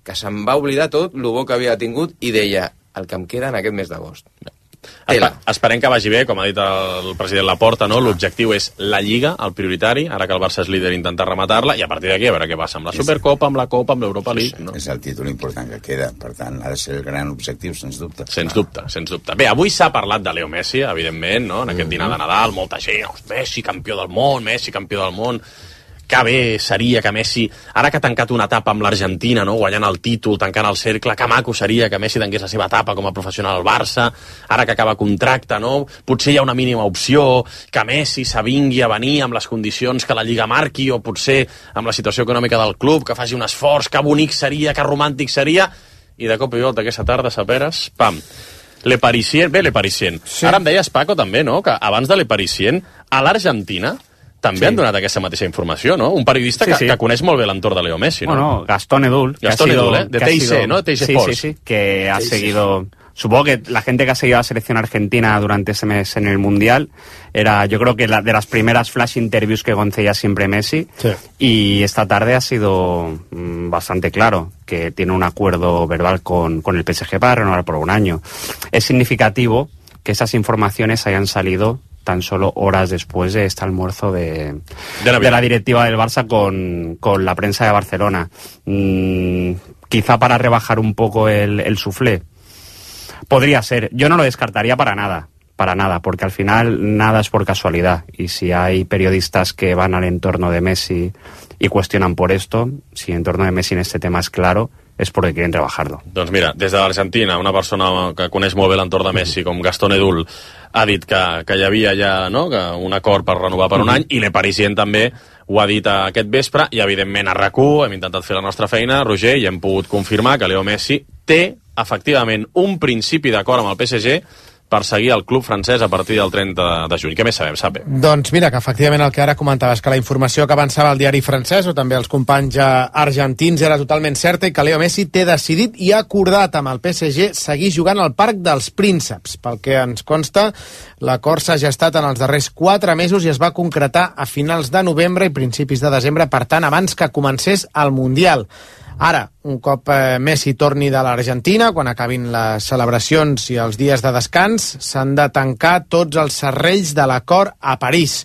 que se'm va oblidar tot el bo que havia tingut i deia, el que em queda en aquest mes d'agost. Espe esperem que vagi bé, com ha dit el president Laporta, no? L'objectiu és la Lliga, el prioritari, ara que el Barça és líder, intentar rematar-la, i a partir d'aquí a veure què passa amb la Supercopa, amb la Copa, amb l'Europa League. No? És el títol important que queda, per tant, ha de ser el gran objectiu, sens dubte. Sens dubte, sens dubte. Bé, avui s'ha parlat de Leo Messi, evidentment, no? En aquest dinar de Nadal, molta gent, Messi, campió del món, Messi, campió del món... Que bé seria que Messi, ara que ha tancat una etapa amb l'Argentina, no? Guanyant el títol, tancant el cercle, que maco seria que Messi tanqués la seva etapa com a professional al Barça, ara que acaba contracte, no? Potser hi ha una mínima opció, que Messi s'avingui a venir amb les condicions que la Lliga marqui, o potser amb la situació econòmica del club, que faci un esforç, que bonic seria, que romàntic seria, i de cop i volta aquesta tarda, saperes, pam, Le Parisien, bé Le Parisien. Sí. Ara em deies, Paco, també, no?, que abans de Le Parisien, a l'Argentina també sí. han donat aquesta mateixa informació, ¿no? Un periodista sí, que, sí. que coneix molt bé l'entorn de Leo Messi, ¿no? Bueno, Gastón Edul. Gastón Edul, ¿eh? De T I C, ¿no? T I C sí, Sports. Sí, sí, que ha seguido supongo que la gente que ha seguido a la selección argentina durante ese mes en el Mundial era, yo creo que la, de las primeras flash interviews que concedía siempre Messi, sí. Y esta tarde ha sido mmm, bastante claro que tiene un acuerdo verbal con, con el P S G para renovar por un año. Es significativo que esas informaciones hayan salido tan solo horas después de este almuerzo de, de, la, de la directiva del Barça con, con la prensa de Barcelona. Mm, quizá para rebajar un poco el, el suflé. Podría ser. Yo no lo descartaría para nada, para nada, porque al final nada es por casualidad. Y si hay periodistas que van al entorno de Messi y cuestionan por esto, si el entorno de Messi en este tema es claro, és perquè quieren rebajarlo. Doncs mira, des de l'Argentina, una persona que coneix molt bé l'entorn de Messi, com Gastón Edul, ha dit que, que hi havia ja, no?, que un acord per renovar per un any, i Le Parisien també ho ha dit aquest vespre, i evidentment a RAC u hem intentat fer la nostra feina, Roger, i hem pogut confirmar que Leo Messi té, efectivament, un principi d'acord amb el P S G per seguir el club francès a partir del trenta de juny. Què més sabem, Sape? Doncs mira, que efectivament el que ara comentaves, que la informació que avançava el diari francès o també els companys argentins era totalment certa i que Leo Messi té decidit i acordat amb el P S G seguir jugant al Parc dels Prínceps. Pel que ens consta, l'acord s'ha gestat en els darrers quatre mesos i es va concretar a finals de novembre i principis de desembre, per tant, abans que comencés el Mundial. Ara, un cop eh, Messi torni de l'Argentina, quan acabin les celebracions i els dies de descans, s'han de tancar tots els serrells de l'acord a París.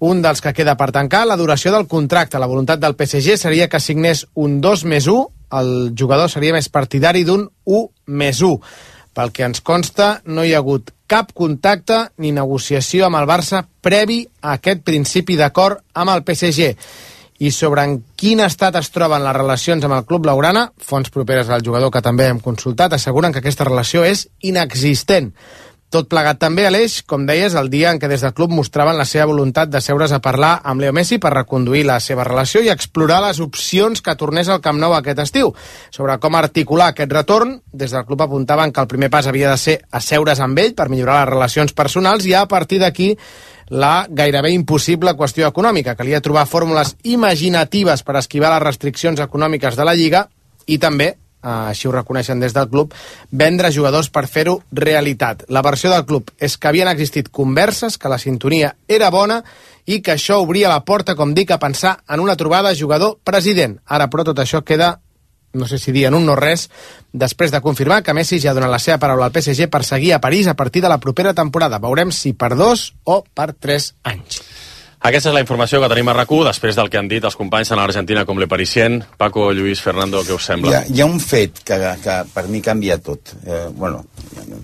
Un dels que queda per tancar, la duració del contracte. La voluntat del P S G seria que signés un dos més u, el jugador seria més partidari d'un u més u. Pel que ens consta, no hi ha hagut cap contacte ni negociació amb el Barça previ a aquest principi d'acord amb el P S G. I sobre en quin estat es troben les relacions amb el club blaugrana, fonts properes al jugador que també hem consultat asseguren que aquesta relació és inexistent. Tot plegat també, Aleix, com deies, el dia en què des del club mostraven la seva voluntat de seure's a parlar amb Leo Messi per reconduir la seva relació i explorar les opcions que tornés al Camp Nou aquest estiu. Sobre com articular aquest retorn, des del club apuntaven que el primer pas havia de ser asseure's amb ell per millorar les relacions personals i a partir d'aquí la gairebé impossible qüestió econòmica. Calia trobar fórmules imaginatives per esquivar les restriccions econòmiques de la Lliga i també, així ho reconeixen des del club, vendre jugadors per fer-ho realitat. La versió del club és que havien existit converses, que la sintonia era bona i que això obria la porta, com dic, a pensar en una trobada jugador-president. Ara, però, tot això queda, no sé si dir en un no res, després de confirmar que Messi ja ha donat la seva paraula al P S G per seguir a París a partir de la propera temporada. Veurem si per dos o per tres anys. Aquesta és la informació que tenim a RAC u, després del que han dit els companys en l'Argentina com Le Parisien. Paco, Lluís, Fernando, què us sembla? Hi ha, hi ha un fet que, que per mi canvia tot. Eh, bueno,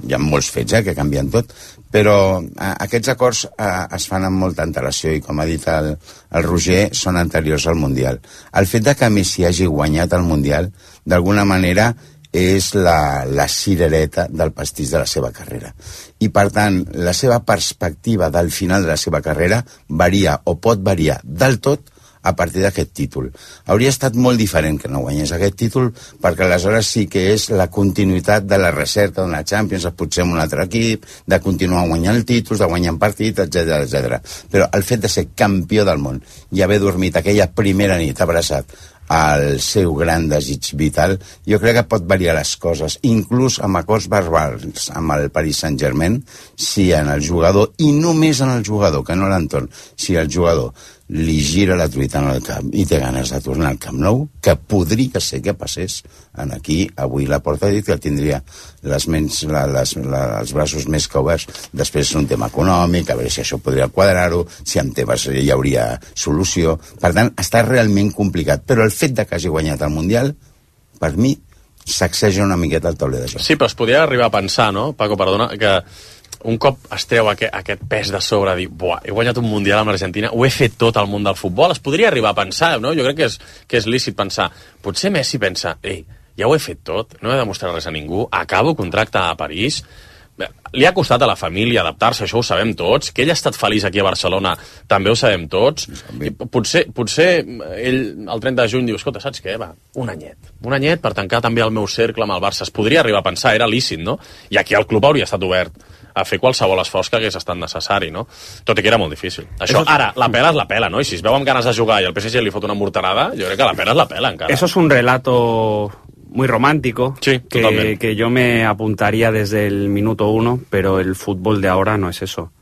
hi ha molts fets eh, que canvien tot, però eh, aquests acords eh, es fan amb molta antelació i, com ha dit el, el Roger, són anteriors al Mundial. El fet de que Messi hagi guanyat el Mundial, d'alguna manera, és la, la cirereta del pastís de la seva carrera. I, per tant, la seva perspectiva del final de la seva carrera varia o pot variar del tot a partir d'aquest títol. Hauria estat molt diferent que no guanyés aquest títol, perquè aleshores sí que és la continuïtat de la recerca d'una Champions, potser amb un altre equip, de continuar guanyant títols, de guanyar partits, etcètera, etcètera. Però el fet de ser campió del món i haver dormit aquella primera nit abraçat al seu gran desig vital, jo crec que pot variar les coses, inclús amb acords verbals amb el Paris Saint-Germain, si en el jugador, i només en el jugador, que no l'entorn, si el jugador li gira la truita en el camp i té ganes de tornar al Camp Nou, que podria ser que passés en aquí, avui la porta ha dit que tindria les ments, la, les, la, els braços més que oberts. Després és un tema econòmic, a veure si això podria quadrar-ho, si amb Tebas hi hauria solució. Per tant, està realment complicat, però el fet de que hagi guanyat el Mundial, per mi, sacseja una miqueta el tauler de joc. Sí, però es podria arribar a pensar, no, Paco, perdona, que un cop es treu aquest, aquest pes de sobre, dir, buah, he guanyat un Mundial amb l'Argentina, ho he fet tot al món del futbol, es podria arribar a pensar, no? Jo crec que és, que és lícit pensar. Potser Messi pensa, ei, ja ho he fet tot, no he de mostrar res a ningú, acabo contracte a París. Li ha costat a la família adaptar-se, això ho sabem tots, que ell ha estat feliç aquí a Barcelona, també ho sabem tots. I potser, potser ell el trenta de juny diu, escolta, saps què? Va, un anyet. Un anyet per tancar també el meu cercle amb el Barça. Es podria arribar a pensar, era lícit, no? I aquí el club hauria estat obert a fer qualsevol esforç que hagués estat necessari, no? Tot i que era molt difícil. Això, ara, la pela és la pela, no? I si es veu amb ganes de jugar i el P S G li fot una morterada, jo crec que la pela és la pela, encara. Eso es un relato muy romántico, sí, que, que yo me apuntaría desde el minuto uno, pero el fútbol de ahora no es eso.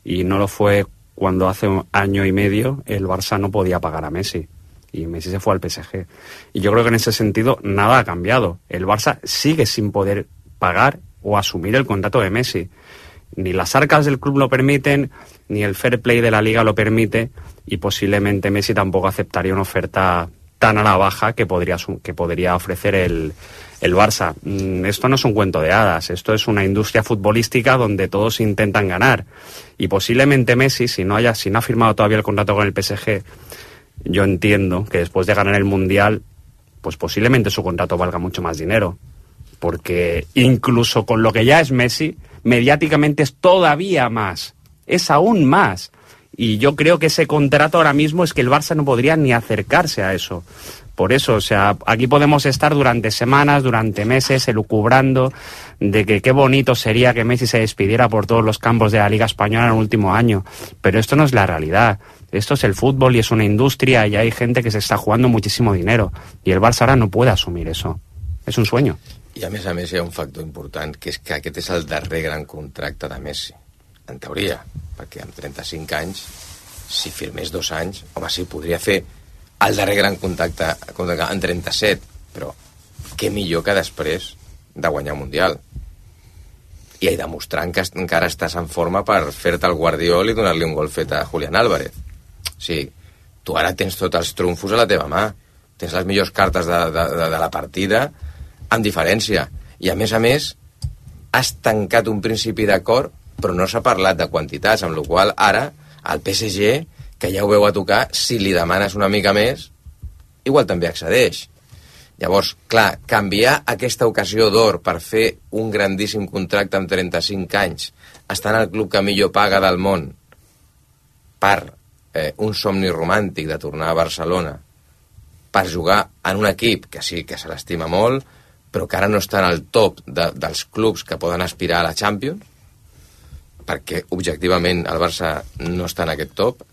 Y no lo fue cuando hace un año y medio el Barça no podía pagar a Messi. Y Messi se fue al P S G. Y yo creo que en ese sentido nada ha cambiado. El Barça sigue sin poder pagar o asumir el contrato de Messi. Ni las arcas del club lo permiten, ni el fair play de la liga lo permite, y posiblemente Messi tampoco aceptaría una oferta tan a la baja que podría, que podría ofrecer el, el Barça. Esto no es un cuento de hadas, esto es una industria futbolística donde todos intentan ganar. Y posiblemente Messi, si no, haya, si no ha firmado todavía el contrato con el P S G, yo entiendo que después de ganar el Mundial, pues posiblemente su contrato valga mucho más dinero. Porque incluso con lo que ya es Messi, mediáticamente es todavía más, es aún más. Y yo creo que ese contrato ahora mismo es que el Barça no podría ni acercarse a eso. Por eso, o sea, aquí podemos estar durante semanas, durante meses, elucubrando de que qué bonito sería que Messi se despidiera por todos los campos de la Liga Española en el último año. Pero esto no es la realidad. Esto es el fútbol y es una industria y hay gente que se está jugando muchísimo dinero. Y el Barça ahora no puede asumir eso. És un sueño. I a més a més hi ha un factor important, que és que aquest és el darrer gran contracte de Messi, en teoria, perquè amb trenta-cinc anys, si firmés dos anys, home, sí, podria fer el darrer gran contracte en trenta-set, però què millor que després de guanyar un Mundial. I hi demostrant que encara estàs en forma per fer-te el Guardiol i donar-li un gol fet a Julián Álvarez. O sigui, tu ara tens tots els trumfos a la teva mà, tens les millors cartes de, de, de, de la partida, amb diferència. I a més a més has tancat un principi d'acord, però no s'ha parlat de quantitats, amb la qual ara el P S G, que ja ho veu a tocar, si li demanes una mica més, igual també accedeix. Llavors, clar, canviar aquesta ocasió d'or per fer un grandíssim contracte amb trenta-cinc anys, estar en el club que millor paga del món, per eh, un somni romàntic de tornar a Barcelona, per jugar en un equip que sí que se l'estima molt, però que ara no està en el top de, dels clubs que poden aspirar a la Champions, perquè objectivament el Barça no està en aquest top.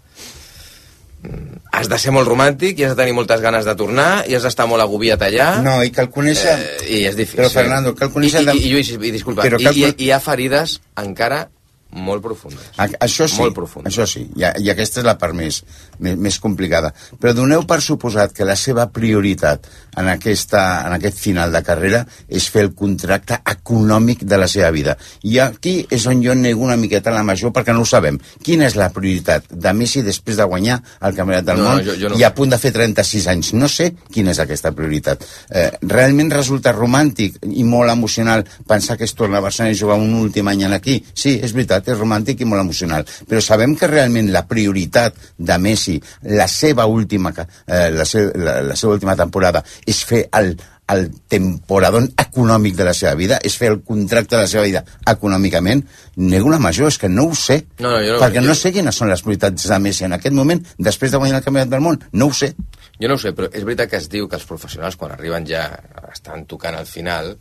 Has de ser molt romàntic i has de tenir moltes ganes de tornar i has d'estar molt agobiat allà. No, i cal conèixer... Eh, I és difícil. Però, Fernando, cal conèixer... I, i, i, Lluís, i disculpa, però i, cal... i, i hi ha ferides encara molt profundes. A, això sí, molt profundes. això sí, i, i aquesta és la part més, més, més complicada. Però doneu per suposat que la seva prioritat en, aquesta, en aquest final de carrera és fer el contracte econòmic de la seva vida. I aquí és on jo nego una miqueta la major, perquè no ho sabem. Quina és la prioritat de Messi després de guanyar el Campionat del no, Món no, jo, jo no. i a punt de fer trenta-sis anys? No sé quina és aquesta prioritat. Eh, realment resulta romàntic i molt emocional pensar que es torna a Barcelona i jugar un últim any aquí? Sí, és veritat, és romàntic i molt emocional, però sabem que realment la prioritat de Messi, la seva última, eh, la, se, la, la seva última temporada, és fer el, el temporadón econòmic de la seva vida, és fer el contracte de la seva vida econòmicament. Nego la major, és que no ho sé, no, no, jo no, perquè jo... no sé quines són les prioritats de Messi en aquest moment, després de guanyar el Campionat del Món, no ho sé. Jo no ho sé, però és veritat que es diu que els professionals, quan arriben ja, estan tocant al final,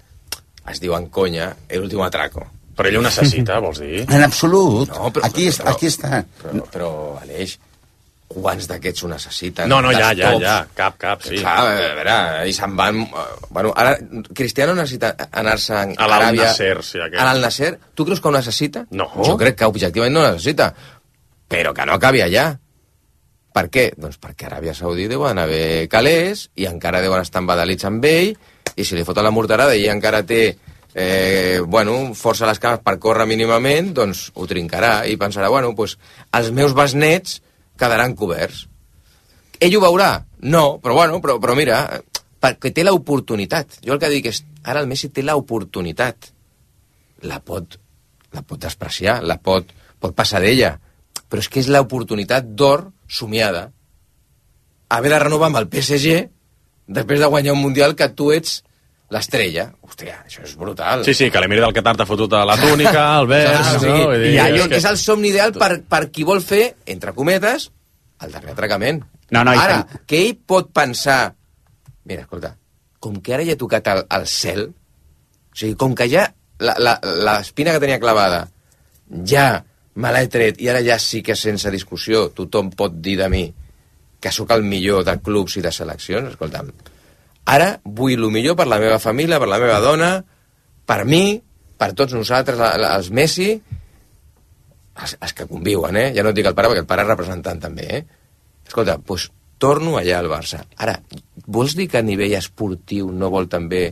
es diuen conya, el último atraco. Però ell ho necessita, vols dir? En absolut. No, però, aquí, però, aquí està. Però, però Aleix, quants d'aquests ho necessiten? No, no, ja, ja, ja. Cap, cap, sí. Clar, a veure, i se'n van... Bueno, ara, Cristiano necessita anar-se a a Aràbia... Nasser, sí, aquest. A l'Al-Nasser, tu creus que ho necessita? No. Jo crec que objectivament no ho necessita. Però que no acabi allà. Per què? Doncs perquè a Aràbia Saudí deuen haver calés i encara deuen estar embadalits amb ell, i si li foten la morterada i encara té eh, bueno, força a les cames per córrer mínimament, doncs ho trincarà i pensarà, bueno, doncs els meus besnets quedaran coberts. Ell ho veurà? No, però bueno, però, però mira, perquè té l'oportunitat. Jo el que dic és, ara el Messi té l'oportunitat. La pot, la pot despreciar, la pot, pot passar d'ella, però és que és l'oportunitat d'or somiada. Haver de renovar amb el P S G després de guanyar un Mundial que tu ets l'estrella. Hòstia, això és brutal. Sí, sí, que l'Emir del Qatar t'ha fotut a la túnica, el vers... Sí, sí, no? I allò que és el somni ideal per, per qui vol fer, entre cometes, el darrer atracament. No, no, ara, i... que ell pot pensar... Mira, escolta, com que ara ja ha tocat el, el cel, o sigui, com que ja l'espina que tenia clavada ja me l'he tret i ara ja sí que sense discussió tothom pot dir de mi que sóc el millor de clubs i de seleccions, escolta'm, Ara vull el millor per la meva família, per la meva dona, per mi, per tots nosaltres, els Messi, els, els que conviuen, eh? Ja no et dic el pare, perquè el pare és representant també, eh? Escolta, doncs torno allà al Barça. Ara, vols dir que a nivell esportiu no vol també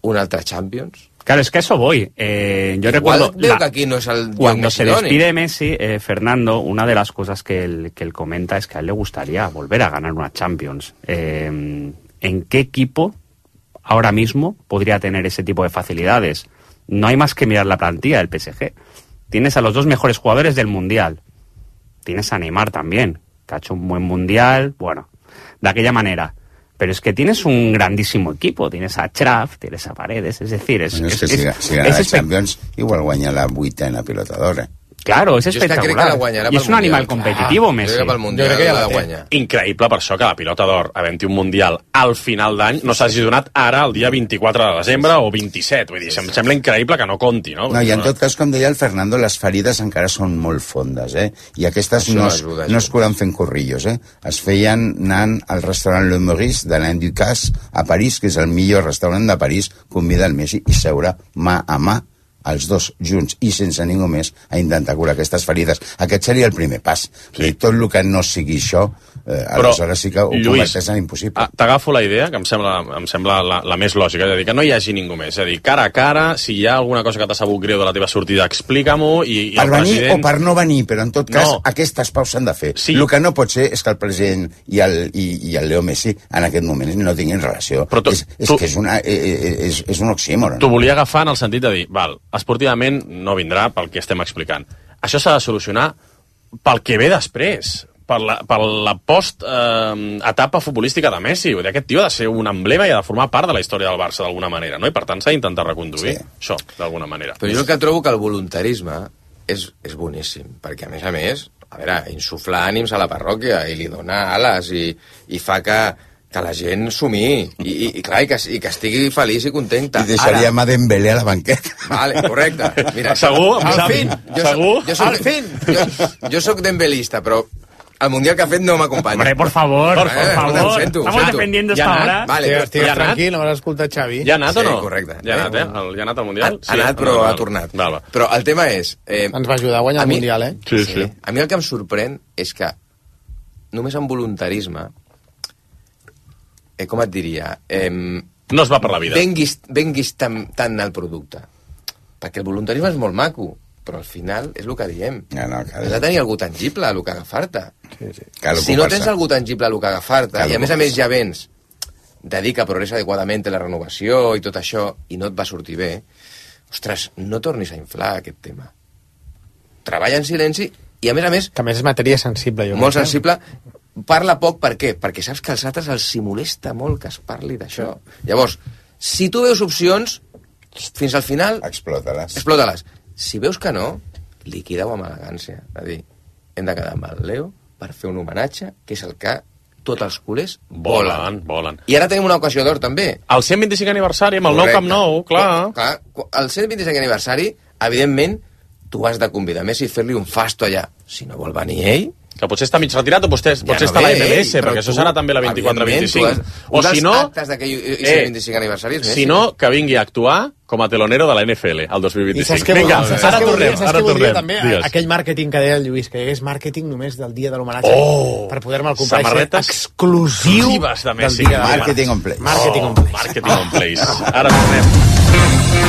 un altre Champions? Claro, es que a eso voy. Eh, yo Igual recuerdo... veo la, que aquí no es el cuando se despide Messi, eh, Fernando, una de las cosas que él, que él comenta es que a él le gustaría volver a ganar una Champions. Eh, ¿En qué equipo ahora mismo podría tener ese tipo de facilidades? No hay más que mirar la plantilla del P S G. Tienes a los dos mejores jugadores del Mundial. Tienes a Neymar también, que ha hecho un buen Mundial, bueno, de aquella manera. Pero es que tienes un grandísimo equipo. Tienes a Xraf, tienes a Paredes, es decir... Es, bueno, es, es que es, si, si gana es la Champions, igual guanya la vuitena pilotadora. Claro, és jo espectacular. És que I és un animal competitiu, Messi. Jo crec que pel Mundial jo crec que ja la la té. guanya. Increïble per això que la pilota d'or, havent-hi un Mundial al final d'any, no s'hagi donat ara, el dia vint-i-quatre de desembre o vint-i-set. Vull dir, em sembla increïble que no compti, no? No, i en tot cas, com deia el Fernando, les ferides encara són molt fondes, eh? I aquestes Això no es, ajuda, no es curen fent corrillos, eh? Es feien anant al restaurant Le Maurice de l'Alain Ducasse a París, que és el millor restaurant de París, convida el Messi i seure mà a mà els dos junts i sense ningú més a intentar curar aquestes ferides. Aquest seria el primer pas. Sí. I tot el que no sigui això, eh, aleshores sí que ho converteix en impossible. T'agafo la idea, que em sembla, em sembla la, la més lògica, és a dir, que no hi hagi ningú més. És a dir, cara a cara, si hi ha alguna cosa que t'ha sabut greu de la teva sortida, explica-m'ho i, i per el venir president... o per no venir, però en tot cas no. aquestes paus s'han de fer. Sí. El que no pot ser és que el president i el, i, i el Leo Messi en aquest moment no tinguin relació. Però tu, és, és tu, que és, una, és, és un oxímoron. T'ho volia agafar en el sentit de dir, val, esportivament no vindrà pel que estem explicant. Això s'ha de solucionar pel que ve després, per la, per la post-etapa eh, futbolística de Messi. Vull dir, aquest tio ha de ser un emblema i ha de formar part de la història del Barça d'alguna manera, no? I per tant s'ha d'intentar reconduir sí. això, d'alguna manera. Però jo el que trobo que el voluntarisme és, és boníssim, perquè a més a més, a veure, insufla ànims a la parròquia i li dona ales i, i fa que que la gent sumí i, i, i clar, i que, i que estigui feliç i contenta. I deixaríem a Dembélé a la banqueta. Vale, correcte. Mira, segur? Al fin. Jo segur? Soc, jo soc, al fin. Jo, jo soc dembelista, però el Mundial que ha fet no m'acompanya. Hombre, por favor, por, eh, favor. Ho sento, Estamos sento. defendiendo Ja esta hora. Vale, Estigues, estigues ja ha tranquil, no m'has escoltat Xavi. Ja ha anat o no? Sí, correcte. Ja ha anat, eh? El, ja ha anat al Mundial? Ha, ha anat, però ha tornat. Val, val. Però el tema és... Eh, Ens va ajudar a guanyar el mi, Mundial, eh? Sí, sí. sí. A mi el que em sorprèn és que només amb voluntarisme, eh, com et diria... Eh, no es va per la vida. Venguis, venguis tant, tant al producte. Perquè el voluntarisme és molt maco, però al final és el que diem. No, no, cal... Has de tenir algú tangible a el que agafar-te. Sí, sí. Cal si no tens algú tangible a el que agafar-te, i a més a més ja vens de dir que progressa adequadament la renovació i tot això, i no et va sortir bé, ostres, no tornis a inflar aquest tema. Treballa en silenci, i a més a més... Que a més és matèria sensible, jo Molt crec. sensible. Parla poc, per què? Perquè saps que als altres els hi molesta molt que es parli d'això. Llavors, si tu veus opcions, fins al final... Explota-les. Explota-les. Si veus que no, liquida-ho amb elegància. És a dir, hem de quedar amb el Leo per fer un homenatge, que és el que tots els culers volen. Volen, volen. I ara tenim una ocasió d'or, també. El cent vint-i-cinc aniversari, amb el nou Camp Nou, clar. clar. El cent vint-i-cinc aniversari, evidentment, tu has de convidar Messi i fer-li un fasto allà. Si no vol venir ell... Que potser està mig retirat o potser, Ja potser no està a la ve M M S, ell, però perquè això tu, serà també la vint-i-quatre vint-i-cinc. evidentment, tu O has- si un no... dels actes d'aquell cent vint-i-cinc aniversari és Messi. Si no, que vingui a actuar com a telonero de la N F L el dos mil I vint-i-cinc. saps què Vinga, voldria, saps ara què voldria, tornem, saps ara què voldria tornem. també? Digues. Aquell màrqueting que deia el Lluís, que hi hagués màrqueting només del dia de l'homenatge Oh! per poder-me'l comprar i ser Samarretes exclusiu exclusives de del Messi. dia de Marketing on place. Marketing on place. Marketing on place. Ara tornem.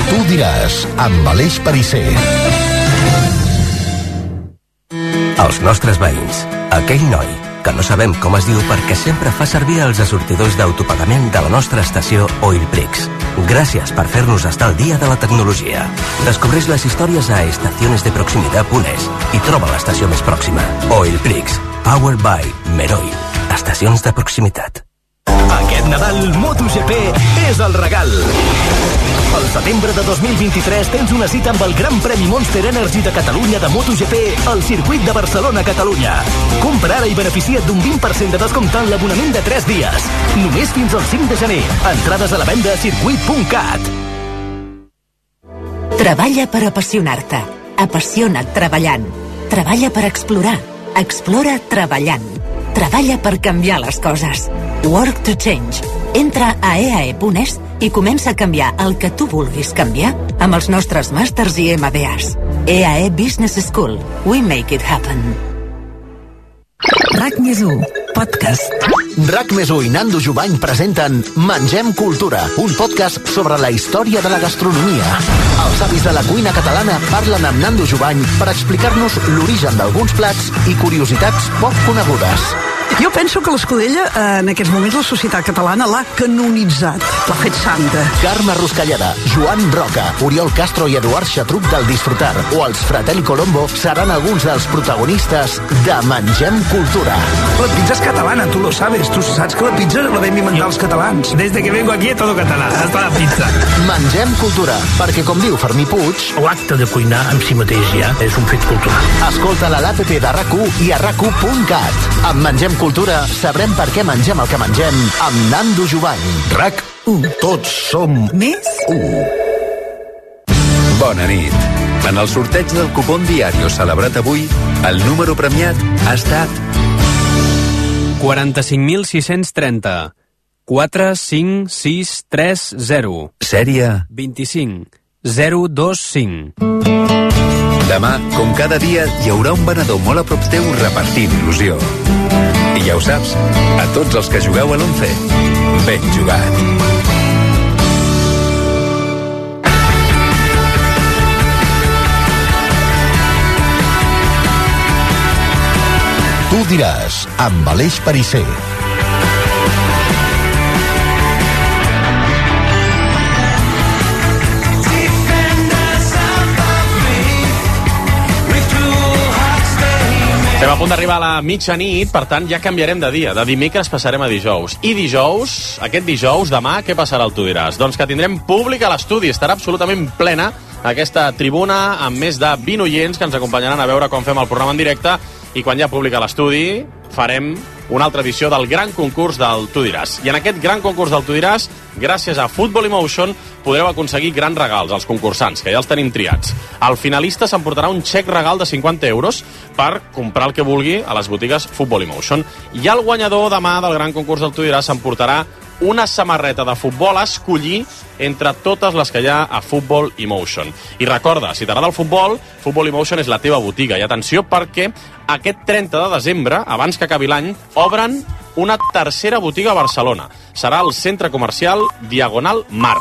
Tu diràs, amb Aleix Perisser. Els nostres veïns, aquell noi que no sabem com es diu perquè sempre fa servir els assortidors d'autopagament de la nostra estació Oilprix. Gràcies per fer-nos estar al dia de la tecnologia. Descobreix les històries a estaciones de proximitat punt es i troba l'estació més pròxima. Oilprix, powered by Meroil. Estacions de proximitat. Aquest Nadal, MotoGP és el regal. Al setembre de dos mil vint-i-tres tens una cita amb el Gran Premi Monster Energy de Catalunya de MotoGP al circuit de Barcelona-Catalunya. Compra ara i beneficia't d'un vint per cent de descompte en l'abonament de tres dies. Només fins al cinc de gener. Entrades a la venda a circuit punt cat. Treballa per apassionar-te. Apassiona't treballant. Treballa per explorar. Explora treballant. Treballa per canviar les coses. Work to Change. Entra a e a e punt es i comença a canviar el que tu vulguis canviar amb els nostres màsters i ema be as. E A E Business School. We make it happen. RAC més u, podcast. RAC més u i Nando Jubany presenten Mengem Cultura, un podcast sobre la història de la gastronomia. Els avis de la cuina catalana parlen amb Nando Jubany per explicar-nos l'origen d'alguns plats i curiositats poc conegudes. Jo penso que l'Escudella, en aquests moments, la societat catalana l'ha canonitzat, l'ha fet santa. Carme Ruscalleda, Joan Roca, Oriol Castro i Eduard Xatruc del Disfrutar o els Fratelli Colombo seran alguns dels protagonistes de Mengem Cultura. La pizza és catalana, tu lo sabes. Tu saps que la pizza la vam inventar els catalans. Desde que vengo aquí todo català, hasta la pizza. Mengem Cultura, perquè com diu Fermí Puig... L'acte de cuinar en si mateix ja és un fet cultural. Escolta-la a l'app de RAC u i a rac u punt cat. Amb Mengem Cultura sabrem per què mengem el que mengem amb Nando Jubany. RAC u. Tots som més u. Bona nit. En el sorteig del cupón Diario celebrat avui, el número premiat ha estat quaranta-cinc mil sis-cents trenta. quatre cinc sis tres zero. Sèrie vint-i-cinc zero dos cinc. Demà, com cada dia, hi haurà un venedor molt a prop teu repartint il·lusió. I ja ho saps, a tots els que jugueu a l'Once, ben jugat. Tu diràs, amb Aleix Perisser. Estem a punt d'arribar a la mitjanit, per tant ja canviarem de dia. De dimecres passarem a dijous. I dijous, aquest dijous, demà, què passarà al Tu diràs? Doncs que tindrem públic a l'estudi. Estarà absolutament plena aquesta tribuna amb més de vint oients que ens acompanyaran a veure com fem el programa en directe, i quan hi ha públic a l'estudi farem una altra edició del gran concurs del Tu diràs. I en aquest gran concurs del Tu diràs, gràcies a Football Emotion, podreu aconseguir grans regals als concursants, que ja els tenim triats. El finalista s'emportarà un xec regal de cinquanta euros per comprar el que vulgui a les botigues Football Emotion. I el guanyador demà del gran concurs del Tu diràs s'emportarà una samarreta de futbol a escollir entre totes les que hi ha a Football Emotion. I recorda, si t'agrada el futbol, Football Emotion és la teva botiga. I atenció, perquè aquest trenta de desembre, abans que acabi l'any, obren una tercera botiga a Barcelona. Serà al centre comercial Diagonal Mar.